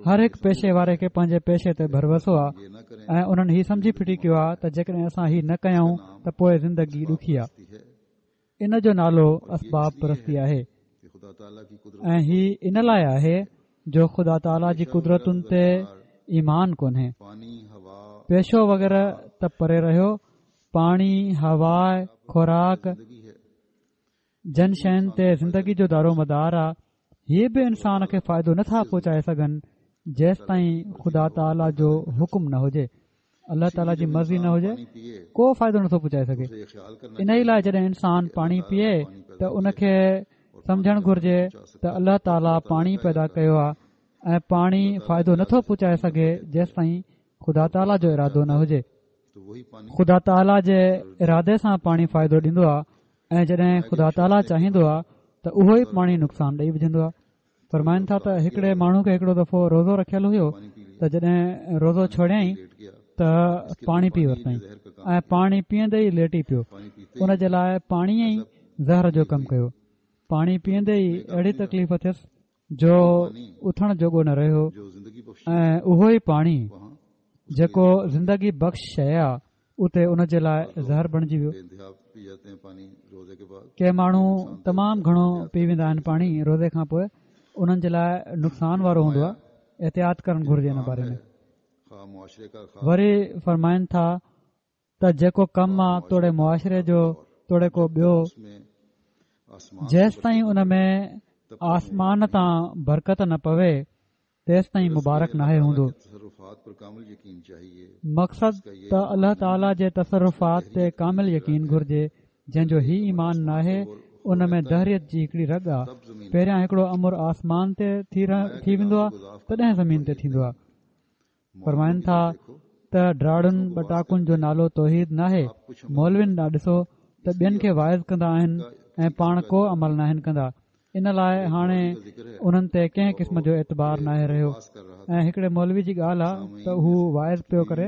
هر هڪ پيشي واري کي پنهنجي پيشي تي ڀروسو آهي ۽ انهن هي سمجهي ڦٽي ڪيو آهي ته جيڪڏهن اسان هي نه ڪيون ته پوء زندگي ڏکي آهي ان جو نالو اسباب پرستي آهي ۽ هي ان لاء آهي جو خدا تعاليٰ جي قدرتن تي ايمان ڪونهي پيشو وغيره ته پري رهيو پاڻي، هوا، خوراڪ، جن شين تي زندگي جو دارومدار آ، هي به انسان کي فائدو نه ٿا پهچائي سگهن جيستائين خدا تعاليٰ جو حڪم نه هجي، الله تعاليٰ جي مرضي نه هجي، ڪو فائدو نٿو پهچائي سگهي. انهي لاء جڏهن انسان پاڻي پيئي ته ان کي سمجهڻ گهرجي ته الله تعاليٰ پاڻي پيدا ڪيو آ ۽ پاڻي فائدو نٿو پهچائي سگهي جيستائين خدا تعاليٰ جو ارادو نه هجي. خدا تعاليٰ جي ارادي سان پاڻي فائدو ڏيندو آهي ۽ جڏهن خدا تعاليٰ چاهيندو آهي ته اهو ئي پاڻي نقصان ڏئي وجهندو آهي فرمائن ٿا ته هڪڙي ماڻهو کي هڪڙو دفعو روزو رکيل هيو ته جڏهن روزو ڇوڙيائين ته پاڻي پي ورتائين ۽ پاڻي پيئندي ئي ليٽي پيو ان جي لاء پاڻي ئي زهر جو ڪم ڪيو پاڻي پيئندي ئي اهڙي تڪليف ٿيس جو اٿڻ جوڳو نه رهيو ۽ اهو ئي پاڻي جيڪو زندگي بخش شيء آ اتي ان جي لاء زهر بڻجي ويو ڪي ماڻهو تمام گهڻو پي ويندا آهن پاڻي روزي کان پوء انهن جي لاء نقصان وارو هوندو آهي احتياط ڪرڻ گهرجي ان باري ۾ وري فرمائن ٿا ته جيڪو ڪم آ توڙي معاشري جو توڙي ڪو ٻيو جيستائين ان ۾ آسمان تان برڪت نه پوي تيستائين مبارڪ ناهي هوندو مقصد ته الله تعاليٰ جي تصرفات تي ڪامل يقين گهرجي جنهن جو هي ايمان ناهي ان ۾ دهريت جي هڪڙي رڳ آ پهريان هڪڙو امر آسمان تي ٿي ويندو آ تڏهن زمين تي ٿيندو آ فرمائن ٿا ته ڊاڙن ٻٽاڪن جو نالو توحيد ناهي، مولوين ڏانهن ڏسو ته ٻين کي واعظ ڪندا آهن ۽ پاڻ ڪو عمل ناهن ڪندا، ان لاء هاڻي انهن تي ڪنهن قسم جو اعتبار ناهي رهيو ۽ هڪڙي مولوي جي ڳالهه آ ته هو واعظ پيو ڪري،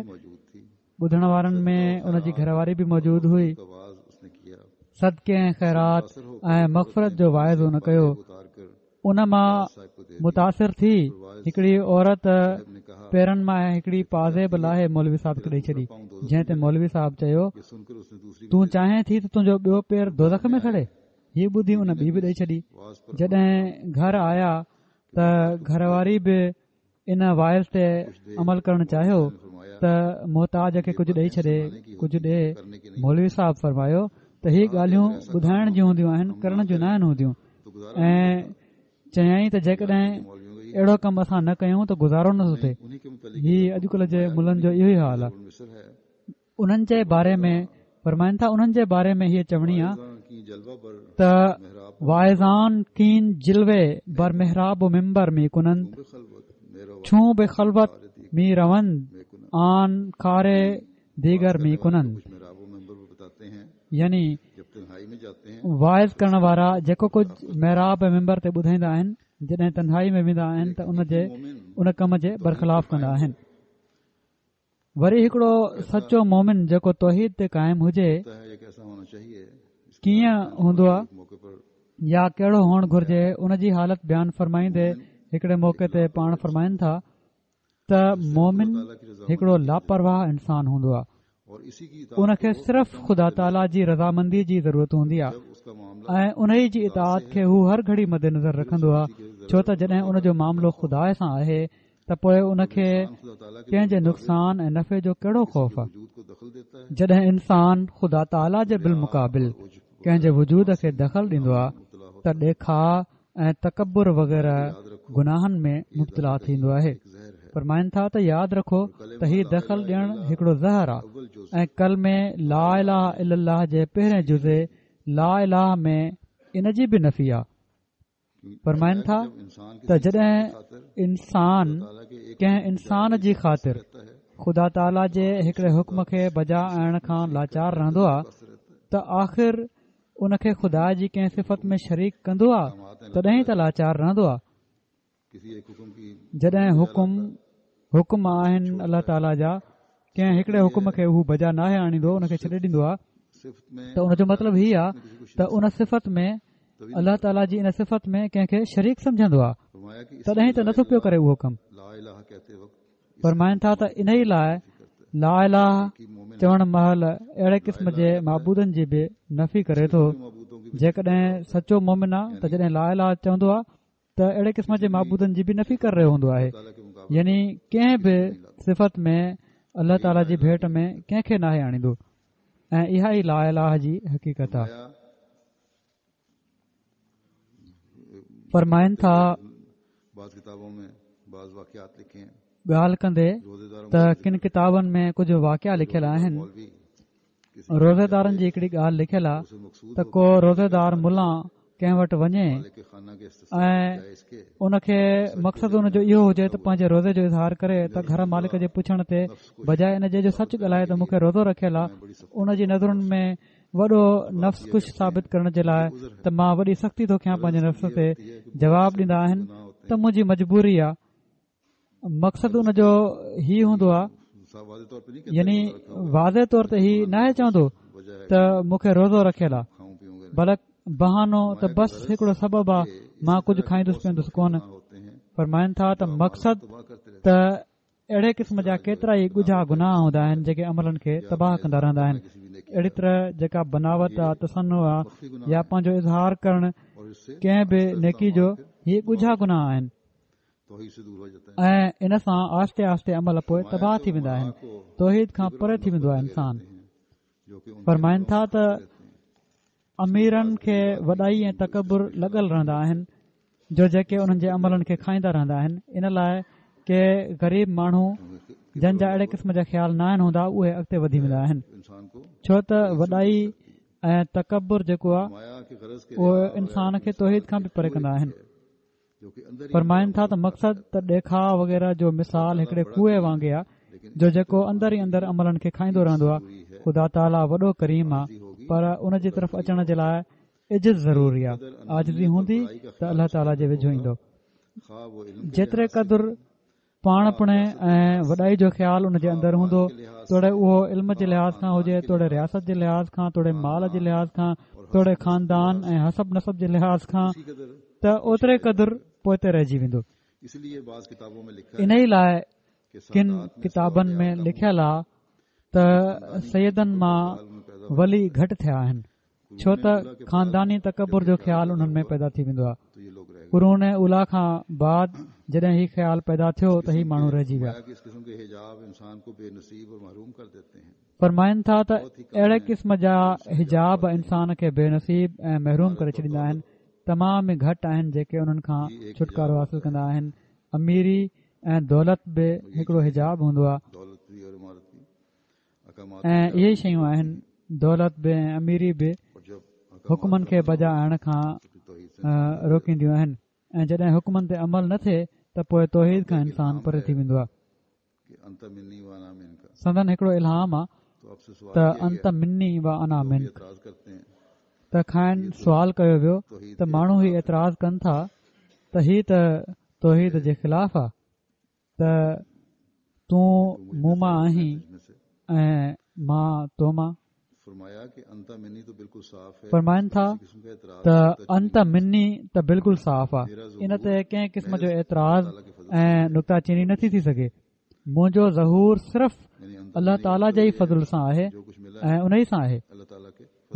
ٻڌڻ وارن ۾ ان جي گهر واري به موجود هئي، صدقي ۽ خيرات ۽ مغفرت جو واعظ هن ڪيو. ان مان متاثر ٿي هڪڙي عورت پيرن مان هڪڙي پازيب لاهي مولوي صاحب کي ڏئي ڇڏي جنهن تي مولوي صاحب چيو تون چاهين ٿي ته تنهنجو ٻيو پير دوزخ ۾ سڙي هي ٻڌي ان ٻي به ڏئي ڇڏي جڏهن گهر آيا ته گهر واري به ان واعظ تي عمل ڪرڻ چاهيو ته محتاج کي ڪجهه ڏئي ڇڏي ڪجهه ڏي مولوي صاحب فرمايو ته هي ڳالهيون ٻڌائڻ جون هونديون آهن ڪرڻ جون ناهن هونديون ۽ چيائين ته جيڪڏهن اهڙو ڪم اسان نه ڪيون ته گذارو نٿو ٿئي هي اڄڪلهه جي ملن جو اهو ئي حال آهي انهن جي باري ۾ فرمائن ٿا انهن جي باري ۾ هيء چوڻي آ ته واعظان کاین جلوه بر محراب و منبر مي ڪنند چون به خلوت مي روند آن کار ديگر مي ڪنند يعني واعظ ڪرڻ وارا جيڪو ڪجهه محراب ۽ منبر تي ٻڌائيندا آهن جڏهن تنهائي ۾ ويندا آهن ته ان جي ان ڪم جي برخلاف ڪندا آهن وري هڪڙو سچو مومن جيڪو توحيد تي قائم هجي ڪيئن هوندو آ يا ڪهڙو هئڻ گهرجي ان جي حالت بيان فرمائيندي هڪڙي موقعي تي پاڻ فرمائن ٿا ته مومن هڪڙو لاپرواهه انسان هوندو آ. ان کي صرف خدا تعاليٰ جي رضامندي جي ضرورت هوندي آهي ۽ انهي جي اطاعت کي هو هر گهڙي مدنظر رکندو آهي، ڇو ته جڏهن ان جو معاملو خدا سان آهي ته پوء ان کي ڪنهن جي نقصان ۽ نفعي جو ڪهڙو خوف آهي؟ جڏهن انسان خدا تعاليٰ جي بالمقابل ڪنهن جي وجود کي دخل ڏيندو آهي ته ڏيکاء ۽ تڪبر وغيره گناهن ۾ مبتلا ٿيندو آهي. فرمائن ٿا ته ياد رکو ته هي دخل ڏيڻ هڪڙو زهر آهي ۽ ڪلمي لا اله الا الله جي پهرين جزي لا اله ۾ ان جي به نفي آهي. فرمائن ٿا ته جڏهن انسان ڪنهن انسان جي خاطر خدا تعاليٰ جي هڪڙي حڪم کي بجا آڻڻ کان لاچار رهندو آهي ته آخر ان کي خدا جي ڪنهن صفت ۾ شريڪ ڪندو آ تڏهن ئي ته لاچار رهندو آ. جڏهن حڪم حڪم آهن الله تعاليٰ جا ڪنهن هڪڙي حڪم کي هو بجا ناهي آڻيندو ان کي ڇڏي ڏيندو آ ته ان جو مطلب هي آ ته ان صفت ۾ الله تعاليٰ جي ان صفت ۾ ڪنهن کي شريڪ سمجهندو آ تڏهن ته نٿو پيو ڪري اهو ڪم. فرمائن ٿا ته انهي لاء لا اله چوڻ مهل اهڙي قسم جي معبودن جي به نفي ڪري ٿو. جيڪڏهن سچو مومن آ ته جڏهن لا اله چوندو آ ته اهڙي قسم جي معبودن جي به نفي ڪري رهيو هوندو آهي يعني ڪنهن به صفت ۾ الله تعالي جي ڀيٽ ۾ ڪنهن کي ناهي آڻيندو ۽ اها ئي لا اله جي حقيقت آ. فرمائن ٿا ڳالهه ڪندي ته ڪن ڪتابن ۾ ڪجهه واقعا لکيل آهن روزيدارن جي هڪڙي ڳالهه لکيل آهي ته ڪو روزيدار ملان ڪنهن وٽ وڃي ۽ ان کي مقصد ان جو اهو هجي ته پنهنجي روزي جو اظهار ڪري ته گهر مالڪ جي پڇڻ تي بجاء ان جي جو سچ ڳالهائي ته مون کي روزو رکيل آهي ان جي نظرن ۾ وڏو نفس ڪش ثابت ڪرڻ جي لاء ته مان وڏي سختي ٿو ڪيان پنهنجي نفس تي جواب ڏيندا آهن ته منهنجي مجبوري آ مقصد ان جو هي هوندو آ يعني واضح طور تي هي ناهي چوندو ته مون کي روزو رکيل آ بلڪ بهانو ته بس هڪڙو سبب آ مان ڪجهه کائيندس پيئندس ڪونه فرمائن ٿا ته مقصد ته اهڙي قسم جا ڪيترا ئي ڳجها گناهه هوندا آهن جيڪي عملن کي تباهه ڪندا رهندا آهن. اهڙي طرح جيڪا بناوٽ آ، تصنع آ يا پنهنجو اظهار ڪرڻ ڪنهن به نيڪي جو هي ڳجها گناهه آهن ۽ ان سان آهستي آهستي عمل پوء تباهه ٿي ويندا آهن توحيد کان پري ٿي ويندو آهي انسان. فرمائن ٿا ته اميرن کي وڏائي ۽ تڪبر لڳل رهندا آهن جو جيڪي انهن جي عملن کي کائيندا رهندا آهن ان لاء ڪي غريب ماڻهو جن جا اهڙي قسم جا خيال نه آهن هوندا اهي اڳتي وڌي ويندا آهن ڇو ته وڏائي ۽ تڪبر جيڪو آهي اهو انسان کي توحيد کان به پري ڪندا آهن فرمائن ٿا ته مقصد ته ڏيکاء وغيره جو مثال هڪڙي ڪوئي وانگي آ جو جيڪو اندر ئي اندر عملن کي کائيندو رهندو آ خدا تعاليٰ وڏو ڪريم آ پر ان جي طرف اچڻ جي لاء عجز ضروري آ عاجزي هوندي ته الله تعاليٰ جي ويجهو ايندو جيتري قدر پاڻ پڻي ۽ وڏائي جو خيال ان جي اندر هوندو توڙي اهو علم جي لحاظ کان هجي توڙي رياست جي لحاظ کان توڙي مال جي لحاظ کان توڙي خاندان ۽ حسب نسب جي لحاظ کان ته اوتري قدر پوئتي رهجي ويندو انهي لاء ڪن ڪتابن ۾ لکيل آ ته سيدن مان ولي گهٽ ٿيا آهن ڇو ته خانداني تڪبر جو خيال انهن ۾ پيدا ٿي ويندو آهي. قرون اوليٰ کان بعد جڏهن هي خيال پيدا ٿيو ته هي ماڻهو رهجي ويا. فرمائن ٿا ته اهڙي قسم جا حجاب انسان کي بي نصيب ۽ محروم ڪري ڇڏيندا آهن. تمام ئي گهٽ آهن جيڪي انهن کان ڇوٽڪارو حاصل ڪندا آهن. اميري ۽ دولت به هڪڙو حجاب هوندو آهي. ۽ اهي ئي شيون آهن دولت به ۽ اميري به حڪمن کي بجا آڻڻ کان روڪينديون آهن ۽ جڏهن حڪمن تي عمل نه ٿئي ته پوء توحيد کان انسان پري ٿي ويندو آهي سندن هڪڙو الهام آهي ته انت مني و انا منڪ ته کانئن سوال ڪيو ويو ته ماڻهو هي اعتراض ڪن ٿا ته هي ته توحيد جي خلاف آهي ته تون مون مان آهين ۽ مان تو مان. فرمائن ٿا ته انت مني ته بلڪل صاف آ ان تي ڪنهن قسم جو اعتراض ۽ نڪته چيني نٿي ٿي سگهي. منهنجو ظهور صرف الله تعاليٰ جي ئي فضل سان آهي ۽ ان ئي سان آهي.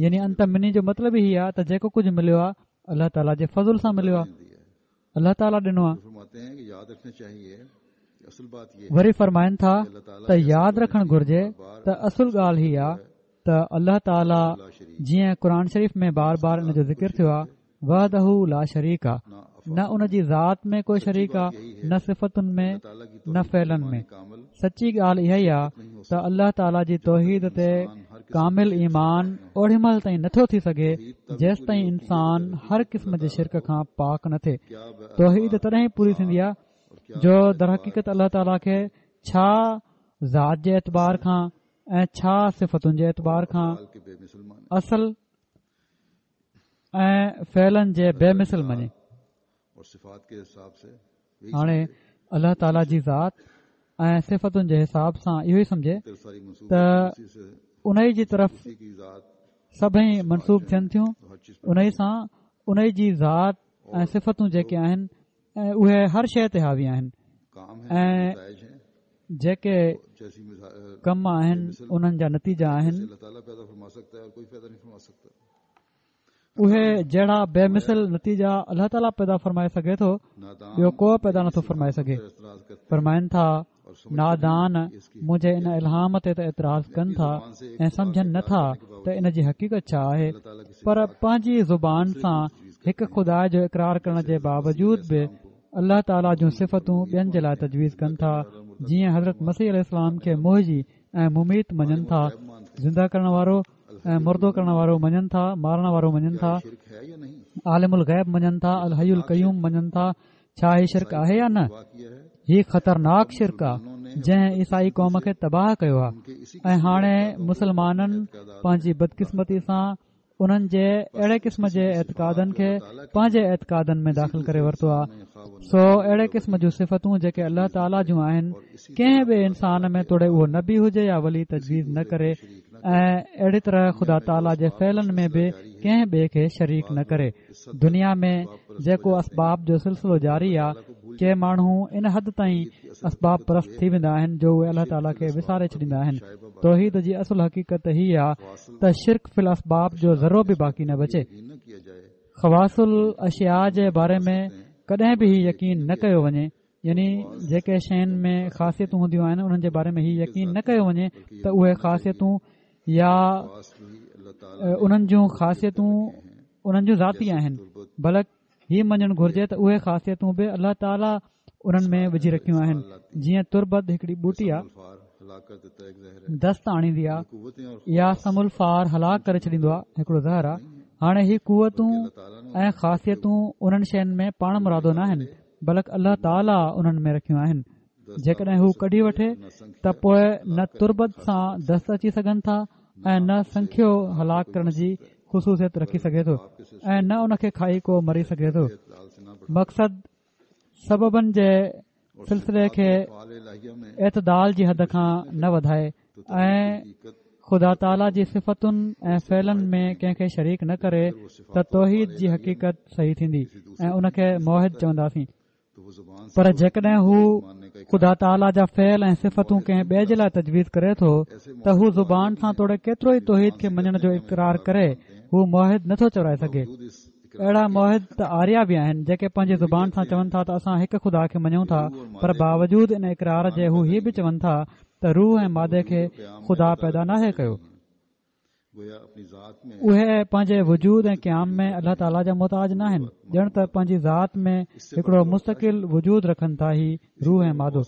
يعني انت مني جو مطلب ئي هي آهي ته جيڪو ڪجهه مليو آهي الله تعاليٰ جي فضل سان مليو آهي، الله تعاليٰ ڏنو آهي. وري فرمائن ٿا ته ياد رکڻ گهرجي ته اصل ڳالهه هي آهي ته الله تعاليٰ جيئن قرآن شريف ۾ بار بار ان جو ذڪر ٿيو آهي وحده لا شريڪ آ، نه ان جي ذات ۾ ڪو شريڪ آ، نه صفتن ۾، نه فعلن ۾. سچي ڳالهه اها ئي آ ته الله تعاليٰ جي توحيد تي ڪامل ايمان اوڏي مهل تائين نٿو ٿي سگهي جيستائين انسان هر قسم جي شرڪ کان پاڪ نه ٿئي. توحيد تڏهن ئي پوري ٿيندي آ جو درحقيقت الله تعاليٰ کي ڇا ذات جي اعتبار کان ۽ ڇا صفتن جي اعتبار کان اصل ۽ فعلن جي بي مثل مڃي. هاڻي الله تعاليٰ جي ذات ۽ صفتن جي حساب سان اهو ئي سمجهي ته ان ئي جي طرف سڀئي منسوب ٿين ٿيون ان ئي سان ان ئي جي ذات ۽ صفتون جيڪي آهن اهي هر شيء تي حاوي آهن ۽ جيڪي ڪم آهن انهن جا نتيجا آهن اهي جهڙا بي مثل نتيجا الله تعاليٰ پيدا فرمائي سگهي ٿو ٻيو ڪو پيدا نٿو فرمائي سگهي فرمائن ٿا نادان منهنجي ان الهام تي ته اعتراض ڪن ٿا ۽ سمجهن نه ٿا ته ان جي حقيقت ڇا آهي پر پنهنجي زبان سان هڪ خدا جو اقرار ڪرڻ جي باوجود به الله تعاليٰ جون صفتون ٻين جي لاء تجويز ڪن ٿا جيئن حضرت مسيح عليه السلام کي محيي ۽ مميت مڃن ٿا زنده ڪرڻ وارو ۽ مردو ڪرڻ وارو مڃن ٿا مارڻ وارو مڃن ٿا عالم الغيب مڃن ٿا الحي القيوم مڃن ٿا ڇا هي شرڪ آهي يا نه هي خطرناڪ شرڪ آ جنهن عيسائي قوم کي تباهه ڪيو آ ۽ هاڻي مسلمانن پنهنجي بدقسمتي سان انهن جي اهڙي قسم جي اعتقادن کي پنهنجي اعتقادن ۾ داخل ڪري ورتو آ سو اهڙي قسم جون صفتون جيڪي الله تعاليٰ جون آهن ڪنهن به انسان ۾ توڙي اهو نبي هجي يا ولي تجويز نه ڪري ۽ اهڙي طرح خدا تعاليٰ جي فعلن ۾ به ڪنهن ٻئي کي شريڪ نه ڪري دنيا ۾ جيڪو اسباب جو سلسلو جاري آ ڪي ماڻهو ان حد تائين اسباب پرست ٿي ويندا آهن جو اهي الله تعاليٰ کي وساري ڇڏيندا آهن توحيد جي اصل حقيقت هي آ ته شرڪ في الاسباب جو ذرو به باقي نه بچي خواص الاشياء جي باري ۾ ڪڏهن به هي يقين نه ڪيو وڃي يعني جيڪي شين ۾ خاصيتون هونديون آهن انهن جي باري ۾ هي يقين نه ڪيو وڃي ته اهي خاصيتون يا انهن جون خاصيتون انهن جون ذاتي آهن بلڪ هي مڃڻ گهرجي ته اهي خاصيتون به الله تعاليٰ انهن ۾ وجهي رکيون آهن جيئن تربت هڪڙي ٻوٽي آهي دست آڻيندي آهي يا سم الفار هلاڪ ڪري ڇڏيندو آهي هڪڙو زهر آهي هاڻي هي قوتون ۽ خاصيتون انهن شين ۾ پاڻ مرادو نه آهن بلڪ الله تعاليٰ انهن ۾ رکيون آهن جيڪڏهن هو ڪڍي وٺي ته پوء نه تربت سان دست اچي سگهن ٿا ۽ نه سنکيو هلاڪ ڪرڻ جي خصوصيت رکي سگهي ٿو ۽ نه ان کي کائي ڪو مري سگهي ٿو مقصد سببن جي سلسلي کي اعتدال جي حد کان نه وڌائي ۽ خدا تعاليٰ جي صفتن ۽ فعلن ۾ ڪنهن کي شريڪ نه ڪري ته توحيد جي حقيقت صحيح ٿيندي ۽ ان کي موحد چونداسين پر جيڪڏهن هو خدا تعاليٰ جا فعل ۽ صفتون ڪنهن ٻئي جي لاء تجويز ڪري ٿو ته هو زبان سان توڙي ڪيترو ئي توحيد کي مڃڻ جو اقرار ڪري هو موحد نٿو چورائي سگهي اهڙا موحد ته آريا به آهن جيڪي پنهنجي زبان سان چون ٿا ته اسان هڪ خدا کي مڃون ٿا پر باوجود ان اقرار جي هو هي به چون ٿا ته روح ۽ مادي کي خدا پيدا ناهي ڪيو. اهي پنهنجي وجود ۽ قيام ۾ الله تعاليٰ جا محتاج ناهن ڄڻ ته پنهنجي ذات ۾ هڪڙو مستقل وجود رکن ٿا هي روح ۽ مادو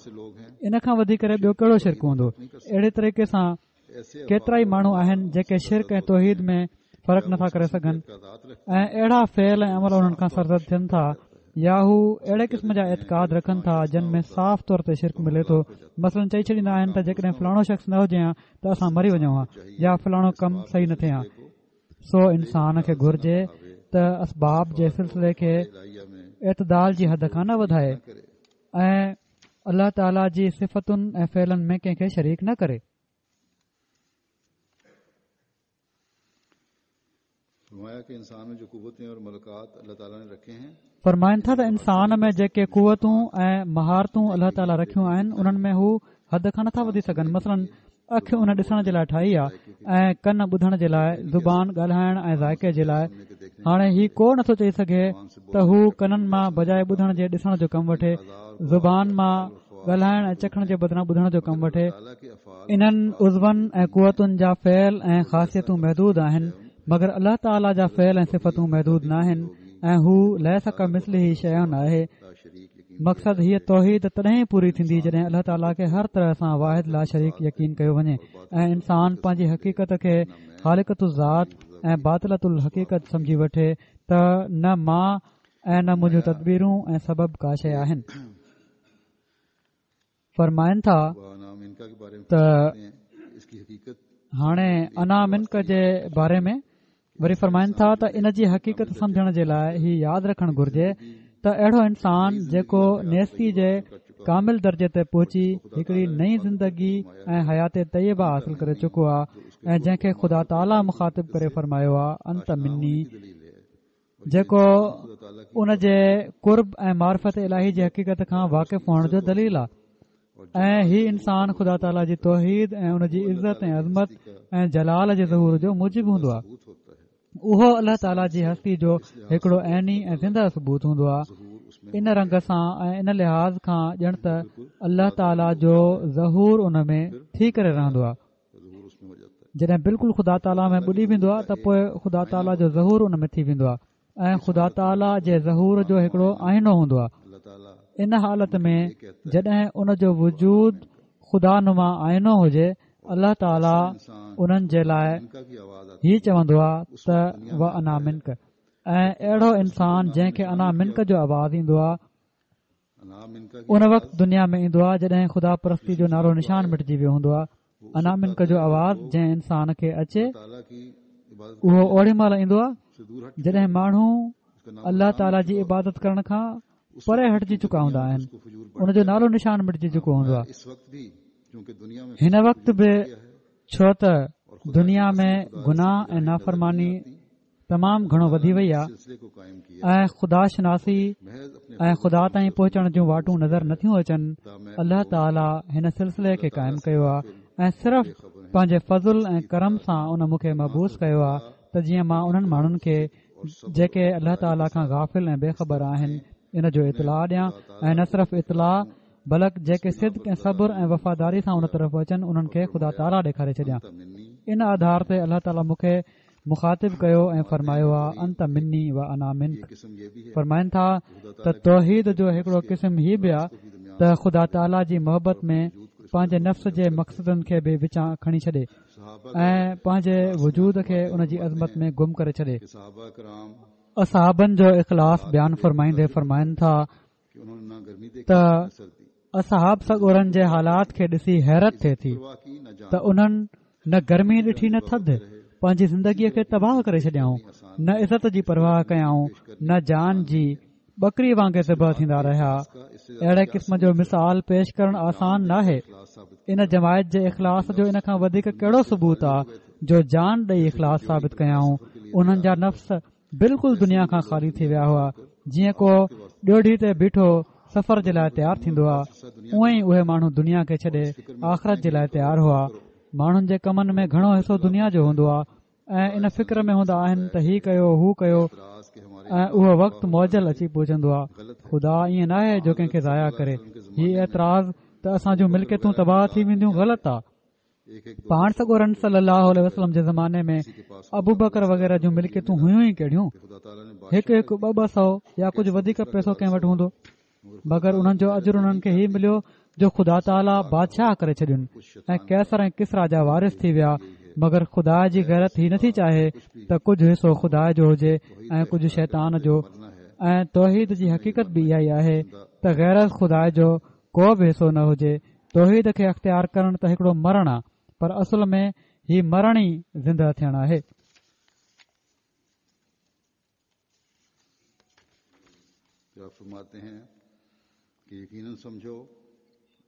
ان کان وڌي ڪري ٻيو ڪهڙو شرڪ هوندو اهڙي طريقي سان ڪيترائي ماڻهو آهن جيڪي شرڪ ۽ توحيد ۾ فرق نٿا ڪري سگهن ۽ اهڙا فعل ۽ عمل انهن کان سرزد ٿين ٿا يا هو اهڙي قسم جا اعتقاد رکن ٿا جن ۾ صاف طور تي شرڪ ملي ٿو مثلاً چئي ڇڏيندا آهن ته جيڪڏهن فلاڻو شخص نه هجي ها ته اسان مري وڃون ها يا فلاڻو ڪم صحيح نه ٿئي ها سو انسان کي گهرجي ته اسباب جي سلسلي کي اعتدال جي حد کان نه وڌائي ۽ الله تعاليٰ جي صفتن ۽ فعلن ۾ ڪنهن کي شريڪ نه ڪري. فرمائن ٿا ته انسان ۾ جيڪي قوتون ۽ مهارتون الله تعاليٰ رکيون آهن انهن ۾ هو حد کان نٿا وڌي سگهن مثلاً اک ان ڏسڻ جي لاء ٺاهي آهي ۽ ڪن ٻڌڻ جي لاء، زبان ڳالهائڻ ۽ ذائقي جي لاء. هاڻي هي ڪو نٿو چئي سگهي ته هو ڪنن مان بجاء ٻڌڻ جي ڏسڻ جو ڪم وٺي، زبان مان ڳالهائڻ ۽ چکڻ جي بدران ٻڌڻ جو ڪم وٺي. انهن عضون ۽ قوتن جا فعل ۽ خاصيتون محدود آهن، مگر الله تعاليٰ جا فعل ۽ صفتون محدود ناهن ۽ هو ليس ڪمثله شيء آهي. مقصد هيء توحيد تڏهن ئي پوري ٿيندي جڏهن الله تعاليٰ کي هر طرح سان واحد لاشريڪ يقين ڪيو وڃي ۽ انسان پنهنجي حقيقت کي خالقة الذات ۽ باطلة الحقيقت سمجهي وٺي ته نه مان ۽ نه منهنجون تدبيرون ۽ سبب ڪا شيء آهن. فرمائن ٿا ته هاڻي انا منڪ جي باري ۾ وري فرمائن ٿا ته ان جي حقيقت سمجهڻ جي لاء هي ياد رکڻ گهرجي ته اهڙو انسان جيڪو نيستي جي ڪامل درجي تي پهچي هڪڙي نئين زندگي ۽ حيات طيبه حاصل ڪري چڪو آهي ۽ جنهن کي خدا تعاليٰ مخاطب ڪري فرمايو آهي انت مني جيڪو ان جي قرب ۽ معرفت الاهي جي حقيقت کان واقف هئڻ جو دليل آهي ۽ هي انسان خدا تعاليٰ جي توحيد ۽ ان جي عزت ۽ عظمت ۽ جلال جي ظهور جو موجب هوندو آهي اهو الله تعاليٰ جي هستي جو هڪڙو عيني ۽ زنده ثبوت هوندو آهي ان رنگ سان ۽ ان لحاظ کان ڄڻ ته الله تعاليٰ جو ظهور ان ۾ ٿي ڪري رهندو آهي جڏهن بلڪل خدا تعاليٰ ۾ ٻڏي ويندو آهي ته پوء خدا تعاليٰ جو ظهور ان ۾ ٿي ويندو آهي ۽ خدا تعاليٰ جي ظهور جو هڪڙو آئينو هوندو آهي ان حالت ۾ جڏهن ان جو وجود خدا نما آئينو هجي الله تعاليٰ انهن جي لاء هي چوندو آهي ته و انا منڪ ۽ اهڙو انسان جنهن کي انا منڪ جو آواز ايندو آهي ان وقت دنيا ۾ ايندو آهي جڏهن خدا پرستي جو نالو نشان مٽجي ويو هوندو آهي انا منڪ جو آواز جنهن انسان کي اچي اهو اوڏي مهل ايندو آهي جڏهن ماڻهو الله تعالي جي عبادت ڪرڻ کان پري هٽجي چڪا هوندا آهن ان جو نالو نشان مٽجي چڪو هوندو آهي هن وقت به ڇو ته دنيا ۾ گناهه ۽ نافرماني تمام گهڻو وڌي وئي آهي ۽ خدا شناسي ۽ خدا تائين پهچڻ جون واٽون نظر نٿيون اچن الله تعالي هن سلسلي کي قائم ڪيو آهي ۽ صرف پنهنجي فضل ۽ ڪرم سان ان مون کي مبعوث ڪيو آهي ته جيئن مان انهن ماڻهن کي جيڪي الله تعالي کان غافل ۽ بي خبر آهن ان جو اطلاع ڏيان ۽ نه صرف اطلاع بلڪ جيڪي صدق ۽ صبر ۽ وفاداري سان ان طرف اچن انهن کي خدا تعاليٰ ڏيکاري ڇڏيان ان آڌار تي الله تعاليٰ مون کي مخاطب ڪيو ۽ فرمايو آ انت مني و انا منڪ فرمائن ٿا ته توحيد جو هڪڙو قسم هي به آ ته خدا تعاليٰ جي محبت ۾ پنهنجي نفس جي مقصدن کي به وچان کڻي ڇڏي ۽ پنهنجي وجود کي ان جي عظمت ۾ گم ڪري ڇڏي اصحابن جو اخلاص بيان فرمائيندي فرمائن ٿا ته اصحاب سڳورن جي حالات کي ڏسي حيرت ٿئي ٿي ته انهن نه گرمي ڏٺي نه ٿڌ پنهنجي زندگيء کي تباهه ڪري ڇڏيائون نه عزت جي پرواهه ڪيائون نه جان جي ٻڪري وانگي ذبح ٿيندا رهيا اهڙي قسم جو مثال پيش ڪرڻ آسان ناهي ان جماعت جي اخلاص جو ان کان وڌيڪ ڪهڙو ثبوت آ جو جان ڏئي اخلاص ثابت ڪيائون انهن جا نفس بلڪل دنيا کان خالي ٿي ويا هئا جيئن ڪو ڏوڍي تي بيٺو سفر جي لاء تيار ٿيندو آهي اونئن ئي اهي ماڻهو دنيا کي ڇڏي آخرت جي لاء تيار هئا ماڻهن جي ڪمن ۾ گهڻو حصو دنيا جو هوندو آهي ۽ ان فڪر ۾ هوندا آهن ته هي ڪيو هو ڪيو ۽ اهو وقت معجل اچي پهچندو آهي خدا ائين ناهي جو ڪنهن کي ضايع ڪري هي اعتراض ته اسان جون ملڪيتون تباهه ٿي وينديون غلط آهي پاڻ سڳورن صلي الله عليه وسلم جي زماني ۾ ابوبڪر وغيره جون ملڪيتون هيون ئي ڪهڙيون هڪ هڪ ٻه ٻه سو يا ڪجهه وڌيڪ پئسو ڪنهن وٽ هوندو مگر انهن جو اجر انهن کي هي مليو جو خدا تعاليٰ بادشاهه ڪري ڇڏين ۽ قيصر ۽ ڪسريٰ جا وارث ٿي ويا مگر خدا جي غيرت هي نٿي چاهي ته ڪجهه حصو خدا جو هجي ۽ ڪجهه شيطان جو ۽ توحيد جي حقيقت به اها ئي آهي ته غير از خدا جو ڪو به حصو نه هجي توحيد کي اختيار ڪرڻ ته هڪڙو مرڻ آ پر اصل ۾ هي مرڻ ئي زندهه ٿيڻ آهي.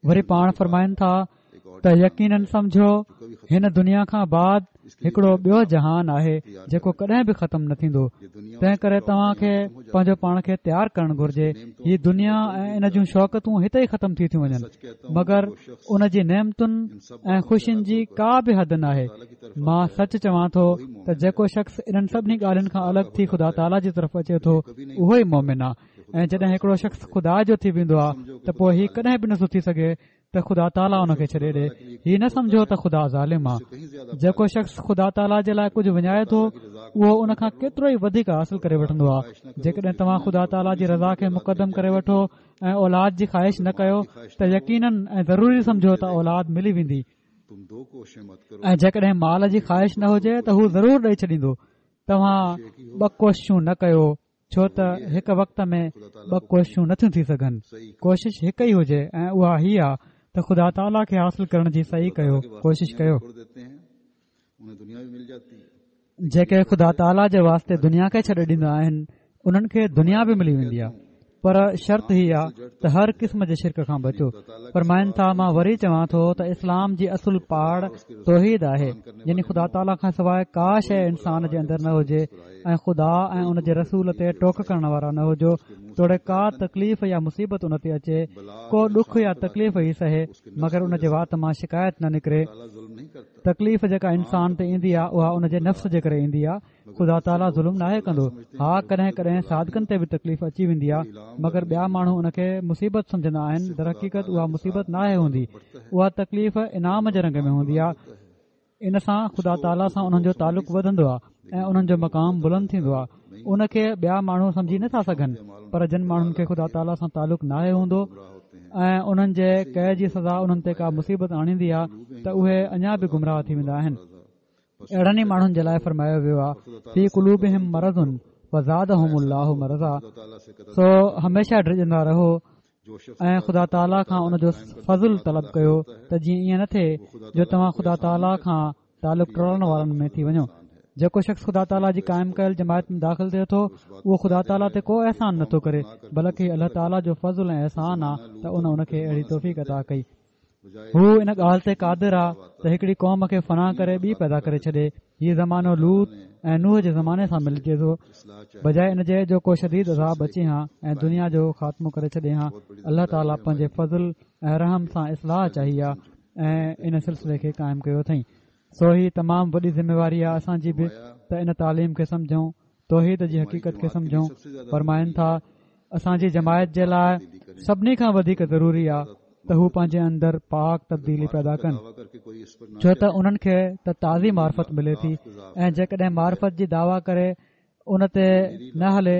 وري پاڻ فرمائن ٿا ته يقينن سمجهو هن دنيا کان بعد هڪڙو ٻيو جهان آهي جيڪو ڪڏهن به ختم نه ٿيندو تنهن ڪري توهان کي پنهنجو پاڻ کي تيار ڪرڻ گهرجي هي دنيا ۽ ان جون شوڪتون هتي ئي ختم ٿي ٿيون وڃن مگر ان جي نعمتن ۽ خوشين جي ڪا به حد ناهي مان سچ چوان ٿو ته جيڪو شخص انهن سڀني ڳالهين کان الڳ ٿي خدا تعاليٰ جي طرف اچي ٿو اهو ئي مومن آهي ۽ جڏهن هڪڙو شخص خدا جو ٿي ويندو آهي ته پوء هي ڪڏهن به نٿو ٿي سگهي ته خدا تعاليٰ ان کي ڇڏي ڏي هي نه سمجهو ته خدا ظالم آهي جيڪو شخص خدا تعاليٰ جي لاء ڪجهه وڃائي ٿو اهو ان کان ڪيترو ئي وڌيڪ حاصل ڪري وٺندو آهي جيڪڏهن توهان خدا تعاليٰ جي رضا کي مقدم ڪري وٺو ۽ اولاد جي خواهش نه ڪيو ته يقينن ۽ ضروري سمجهو ته اولاد ملي ويندي ۽ جيڪڏهن مال جي خواهش نه هجي ته هو ضرور ڏئي ڇڏيندو توهان ٻه ڪوششون نه ڪيو ڇو ته هڪ وقت ۾ ٻه ڪوششون نٿيون ٿي سگهن ڪوشش هڪ ئي هجي ۽ اها هي آ ته خدا تعاليٰ کي حاصل ڪرڻ جي سعي ڪيو ڪوشش ڪيو جيڪي خدا تعاليٰ جي واسطي دنيا کي ڇڏي ڏيندا آهن انهن کي دنيا به ملي ويندي آهي پر شرط هي آ ته هر قسم جي شرڪ کان بچو فرمائن ٿا مان وري چوان ٿو ته اسلام جي اصل پاڙ توحيد آهي يعني خدا تعاليٰ کان سواء ڪا شيء انسان جي اندر نه هجي ۽ خدا ۽ ان جي رسول تي ٽوڪ ڪرڻ وارا نه هجو توڙي ڪا تڪليف يا مصيبت ان تي اچي ڪو ڏک يا تڪليف ئي سهي مگر ان جي وات مان شڪايت نه نڪري تڪليف جيڪا انسان تي ايندي آهي اها ان جي نفس جي ڪري ايندي آهي خدا تعاليٰ ظلم ناهي ڪندو. ها ڪڏهن ڪڏهن صادقن تي به تڪليف اچي ويندي آهي مگر ٻيا ماڻهو ان کي مصيبت سمجهندا آهن درحقيقت اها مصيبت ناهي هوندي اها تڪليف انعام جي رنگ ۾ هوندي آهي ان سان خدا تعاليٰ سان انهن جو تعلق وڌندو آهي ۽ انهن جو مقام بلند ٿيندو آهي ان کي ٻيا ماڻهو سمجهي نٿا سگهن پر جن ماڻهن کي خدا تعاليٰ سان تعلق ناهي هوندو ۽ انهن جي ڪئي جي سزا انهن تي ڪا مصيبت آڻيندي آهي ته اهي اڃا به گمراهه ٿي ويندا آهن اهڙن ئي ماڻهن جي لاء فرمايو ويو آهي في قلوبهم مرض فزادهم الله مرضا سو هميشه ڊڄندا رهو ۽ خدا تعاليٰ کان ان جو فضل طلب ڪيو ته جيئن ائين نه ٿئي جو توهان خدا تعاليٰ کان تعلق ٽوڙڻ وارن ۾ ٿي وڃو جيڪو شخص خدا تعاليٰ جي قائم ڪيل جماعت ۾ داخل ٿئي ٿو اهو خدا تعاليٰ تي ڪو احسان نٿو ڪري بلڪ هي الله تعاليٰ جو فضل ۽ احسان آ ته ان ان کي اهڙي توفيق عطا ڪئي هو ان ڳالهه تي قادر آ ته هڪڙي قوم کي فنا ڪري ٻي پيدا ڪري ڇڏي. هي زمانو لوط ۽ نوح جي زماني سان ملجي ٿو. بجاء ان جي جو ڪو شديد عذاب اچي هان ۽ دنيا جو خاتمو ڪري ڇڏي هان، الله تعاليٰ پنهنجي فضل ۽ رحم سان اصلاح چاهي آ ۽ ان سلسلي کي قائم ڪيو اٿئين. سو هي تمام وڏي ذميواري آ اسان جي به ته ان تعليم کي سمجهون توحيد جي حقيقت کي سمجهون فرمائن ٿا اسان جي جماعت جي لاء سڀني کان وڌيڪ ضروري آ ته هو پنهنجي اندر پاڪ تبديلي پيدا ڪن ڇو ته انهن کي ته تازي معرفت ملي ٿي ۽ جيڪڏهن معرفت جي دعويٰ ڪري ان تي نه هلي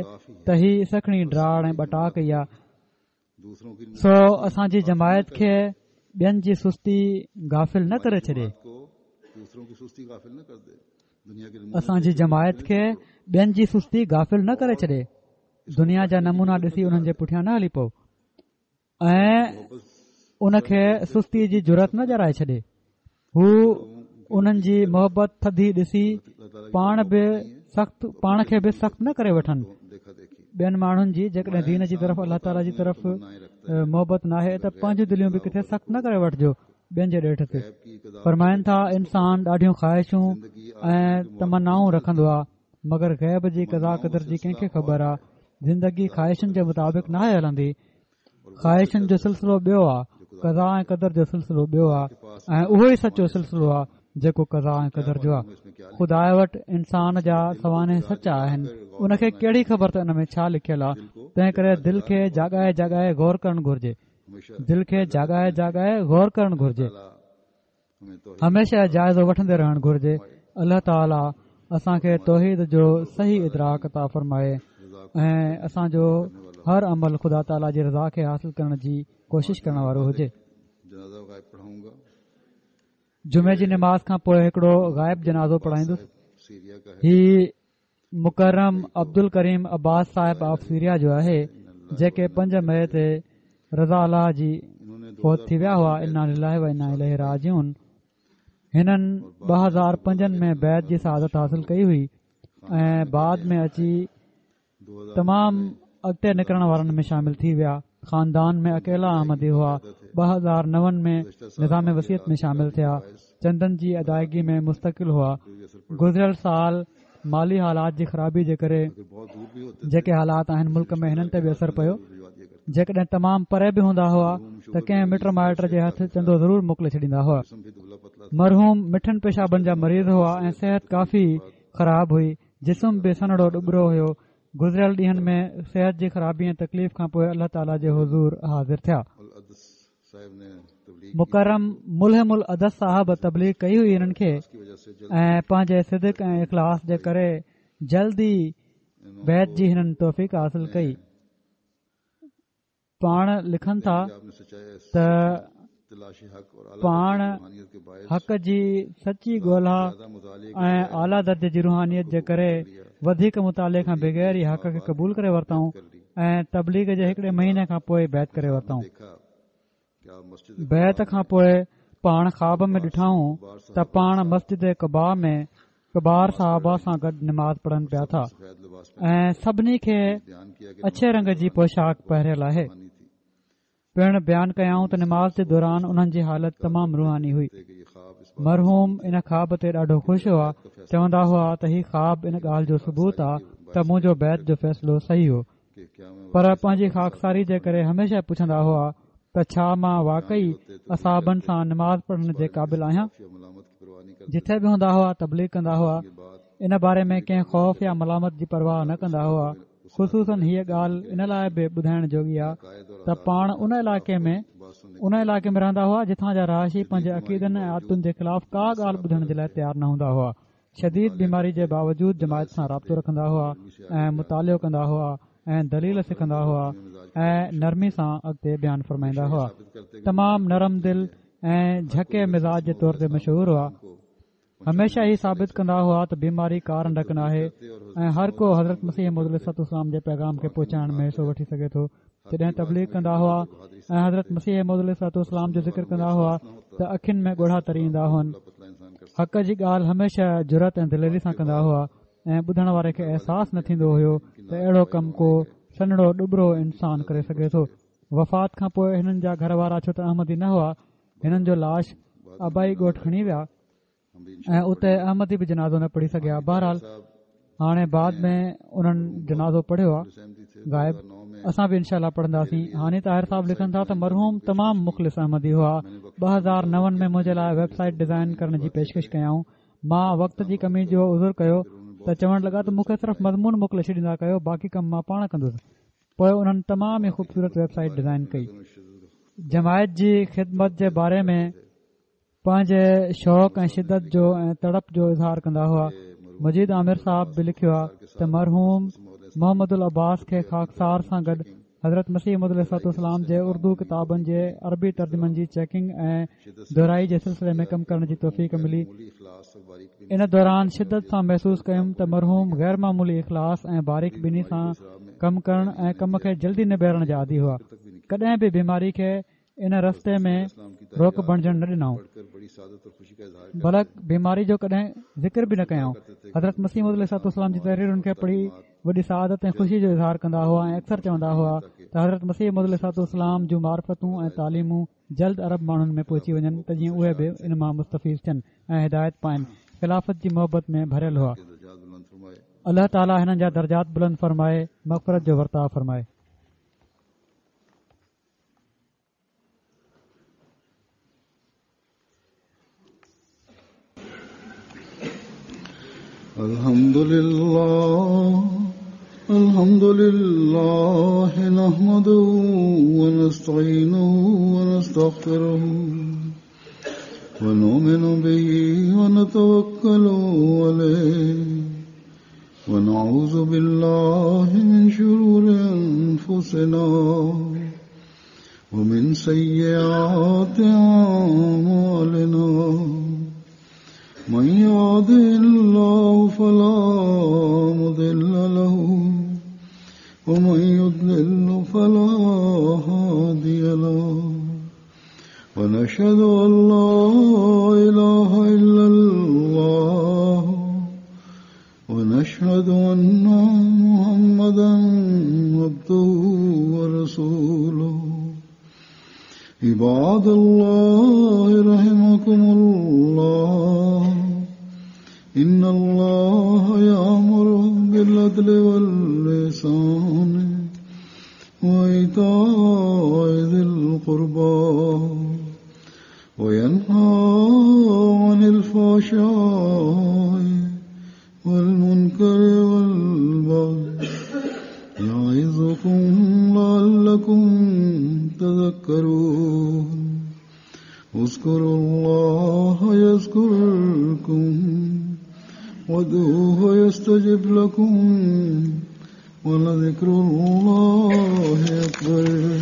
ته هي سکڻي ڊاڙ ۽ ٻٽاڪ ئي آ سو اسان جي جماعت کي ٻين جي سستي غافل نه ڪري ڇڏي. اسان جي جماعت کي ٻين جي سستي غافل نه ڪري ڇڏي. دنيا جا نمونا ڏسي انهن جي پٺيان نه هلي پئو ۽ ان کي سستي جي جرئت نه ڏيارائي ڇڏي. هو انهن جي محبت ٿڌي ڏسي پاڻ به سخت پاڻ کي به سخت نه ڪري وٺن ٻين ماڻهن جي جيڪڏهن دين جي طرف الله تعاليٰ جي طرف محبت ناهي ته پنهنجون دليون به ڪٿي سخت نه ڪري وٺجو ٻين جي ڏيٺ تي فرمائن ٿا انسان ڏاڍيون خواهشون ۽ تمنائون رکندو آهي مگر غيب جي قضا قدر جي ڪنهن کي خبر آهي زندگي خواهشن جي مطابق ناهي هلندي خواهشن جو سلسلو ٻيو آ قضا ۽ قدر جو سلسلو ٻيو آ ۽ اهو ئي سچو سلسلو آ جيڪو قضا ۽ قدر جو آ خدا وٽ انسان جا سوانح سچا آهن ان کي ڪهڙي خبر ته ان ۾ ڇا لکيل آ تنهن ڪري دل کي جاڳائي جاڳائي غور ڪرڻ گهرجي دل کي جاڳائي جاڳائي غور ڪرڻ گهرجي هميشه جائزو وٺندي رهڻ گهرجي الله تعالي اسان کي توحيد جو صحيح ادراڪ عطا فرمائي ۽ اسان جو هر عمل خدا تعالي جي رضا کي حاصل ڪرڻ جي ڪوشش ڪرڻ وارو هجي جمعي جي نماز کان پوء هڪڙو غائب جنازو پڙهائيندس هي مڪرم عبدالڪريم عباس صاحب آف سيريا جو آهي جيڪي 5 مئي تي رضا الله جي فوت ٿي ويا هئا انا لله و انا اليه راجعون هنن 2005 ۾ بيعت جي سعادت حاصل ڪئي هئي ۽ بعد ۾ اچي تمام اڳتي نڪرڻ وارن ۾ شامل ٿي ويا. خاندان ۾ اڪيلا احمدي هئا. 2009 ۾ نظام وصيت ۾ شامل ٿيا. چندن جي ادائگي ۾ مستقل هئا. گذريل سال مالي حالات جي خرابي جي ڪري جيڪي حالات آهن ملڪ ۾ هنن تي به اثر پيو. جيڪڏهن تمام پري به هوندا هئا ته ڪنهن مٽ مائٽ جي هٿ چندو ضرور موڪلي ڇڏيندا هئا. مرحوم مٺن پيشابن جا مريض هئا ۽ صحت ڪافي خراب هئي. جسم به سنهڙو ڏٻرو هيو. گذريل ڏينهن ۾ صحت جي خرابي ۽ تڪليف کان پوء الله تعاليٰ جي حضور حاضر ٿيا. مڪرم ملهم العدس صاحب تبليغ ڪئي هئي هنن کي ۽ پنهنجي صدق ۽ اخلاص جي ڪري جلد ئي بيعت جي هنن توفيق حاصل ڪئي. پاڻ لکن ٿا ته پاڻ حق جي سچي ڳولا ۽ اعليٰ درجي جي روحانيت جي ڪري وڌيڪ مطالعي کان بغير ئي حق کي قبول ڪري ورتائون ۽ تبليغ جي هڪڙي مهيني کان پوء بيعت ڪري ورتائون بيعت کان پوء پاڻ خواب ۾ ڏٺائون ته پاڻ مسجد قباء ۾ ڪبار صحابه سان گڏ نماز پڙهن پيا ٿا ۽ سڀني کي اڇي رنگ جي پوشاڪ پهريل آهي پڻ بيان ڪيائون ته نماز جي دوران انهن جي حالت تمام روحاني هئي مرحوم ان خواب تي ڏاڍو خوش هئا چوندا هئا ته هي خواب ان ڳالهه جو ثبوت آ ته منهنجو بيعت جو فيصلو صحيح هو پر پنهنجي خاڪساري جي ڪري هميشه پڇندا هئا ته ڇا مان واقعي اصحابن سان نماز پڙهڻ جي قابل آهيان؟ جٿي به هوندا هئا تبليغ ڪندا هئا ان باري ۾ ڪنهن خوف يا ملامت جي پرواهه نه ڪندا هئا خصوصاً هيء ڳالهه ان لاء به ٻڌائڻ جوڳي آهي ته پاڻ ان علائقي ۾ ان علائقي ۾ رهندا هئا جتان جا رهائشي پنهنجي عقيدن ۽ عادتن جي خلاف ڪا ڳالهه ٻڌڻ جي لاء تيار نه هوندا هئا شديد بيماري جي باوجود جماعت سان رابطو رکندا هئا ۽ مطالعو ڪندا هئا ۽ دليل سکندا هئا ۽ نرمي سان اڳتي بيان فرمائيندا هئا تمام نرم دل ۽ جهڪي مزاج جي طور تي مشهور هئا هميشه هي ثابت ڪندا هئا ته بيماري ڪا رنڊڪ ناهي ۽ هر ڪو حضرت مسيح موعود عليه الصلوة والسلام جي پيغام کي پهچائڻ ۾ حصو وٺي سگهي ٿو جڏهن تبليغ ڪندا هئا ۽ حضرت مسيح موعود عليه الصلوة والسلام جو ذڪر ڪندا هئا ته اکين ۾ ڳوڙها تري ايندا هئن حق جي ڳالهه هميشه جرئت ۽ دليري سان ڪندا هئا ۽ ٻڌڻ واري کي احساس نه ٿيندو هيو ته اهڙو ڪم ڪو سنهڙو ڏٻرو انسان ڪري سگهي ٿو وفات کان پوء هنن جا گهر وارا ڇو ته احمدي نه هئا هنن جو لاش آبائي ڳوٺ کڻي ويا ۽ اتي احمدي به جنازو نه پڙهي سگهيا بهرحال هاڻي بعد ۾ انهن جنازو پڙهيو آ غائب اسان به انشاء الله پڙهنداسين هاني طاهر صاحب لکن ٿا ته مرحوم تمام مخلص احمدي هئا 2009 ۾ منهنجي لاء ويب سائيٽ ڊزائن ڪرڻ جي پيشڪش ڪيائون مان وقت جي ڪمي جو عذر ڪيو ته چوڻ لڳا ته مون کي صرف مضمون موڪلي ڇڏيندا ڪيو باقي ڪم مان پاڻ ڪندس پوء انهن تمام ئي خوبصورت ويب سائيٽ ڊزائن ڪئي جماعت جي خدمت جي باري ۾ پنهنجي شوق ۽ شدت جو ۽ تڙپ جو اظهار ڪندا هئا. مجيد عامر صاحب به لکيو آهي ته مرحوم محمد العباس کي خاڪسار سان گڏ حضرت مسيح موعود عليه الصلوة والسلام جي اردو ڪتابن جي عربي ترجمن جي چيڪنگ ۽ دهرائي جي سلسلي ۾ ڪم ڪرڻ جي توفيق ملي. ان دوران شدت سان محسوس ڪيم ته مرحوم غير معمولي اخلاص ۽ باريڪ بيني سان ڪم ڪرڻ ۽ ڪم کي جلدي نبيرڻ جا عادي هئا. ڪڏهن به بيماري کي ان رستي ۾ روڪ بڻجڻ نه ڏنائون بلڪ بيماري جو ڪڏهن ذڪر به نه ڪيائون حضرت مسيح موعود عليه الصلوة والسلام جي تحريرن کي پڙهي وڏي سعادت ۽ خوشي جو اظهار ڪندا هئا ۽ اڪثر چوندا هئا ته حضرت مسيح موعود عليه الصلوة والسلام جون معرفتون ۽ تعليمون جلد عرب ماڻهن ۾ پهچي وڃن ته جيئن اهي به ان مان مستفيض ٿين ۽ هدايت پائن خلافت جي محبت ۾ ڀريل هئا الله تعاليٰ هنن جا درجات بلند فرمائي مغفرت جو ورتاء فرمائي الحمد لله الحمد لله نحمده ونستعينه ونستغفره ونؤمن به ونتوكل عليه ونعوذ بالله من شرور أنفسنا ومن سيئات أعمالنا من يهده الله فلا مضل له ومن يضلل فلا هادي له ونشهد أن لا إله إلا الله ونشهد أن محمدا عبده ورسوله. عباد الله رحمكم الله إن الله يأمر بالعدل واللسان وإيتاء ذي القربى وينهى عن الفحشاء والمنكر والبغي يعظكم لعلكم تذكرون اذكروا الله يذكركم وادعوه يستجب لكم ولذكر الله أكبر.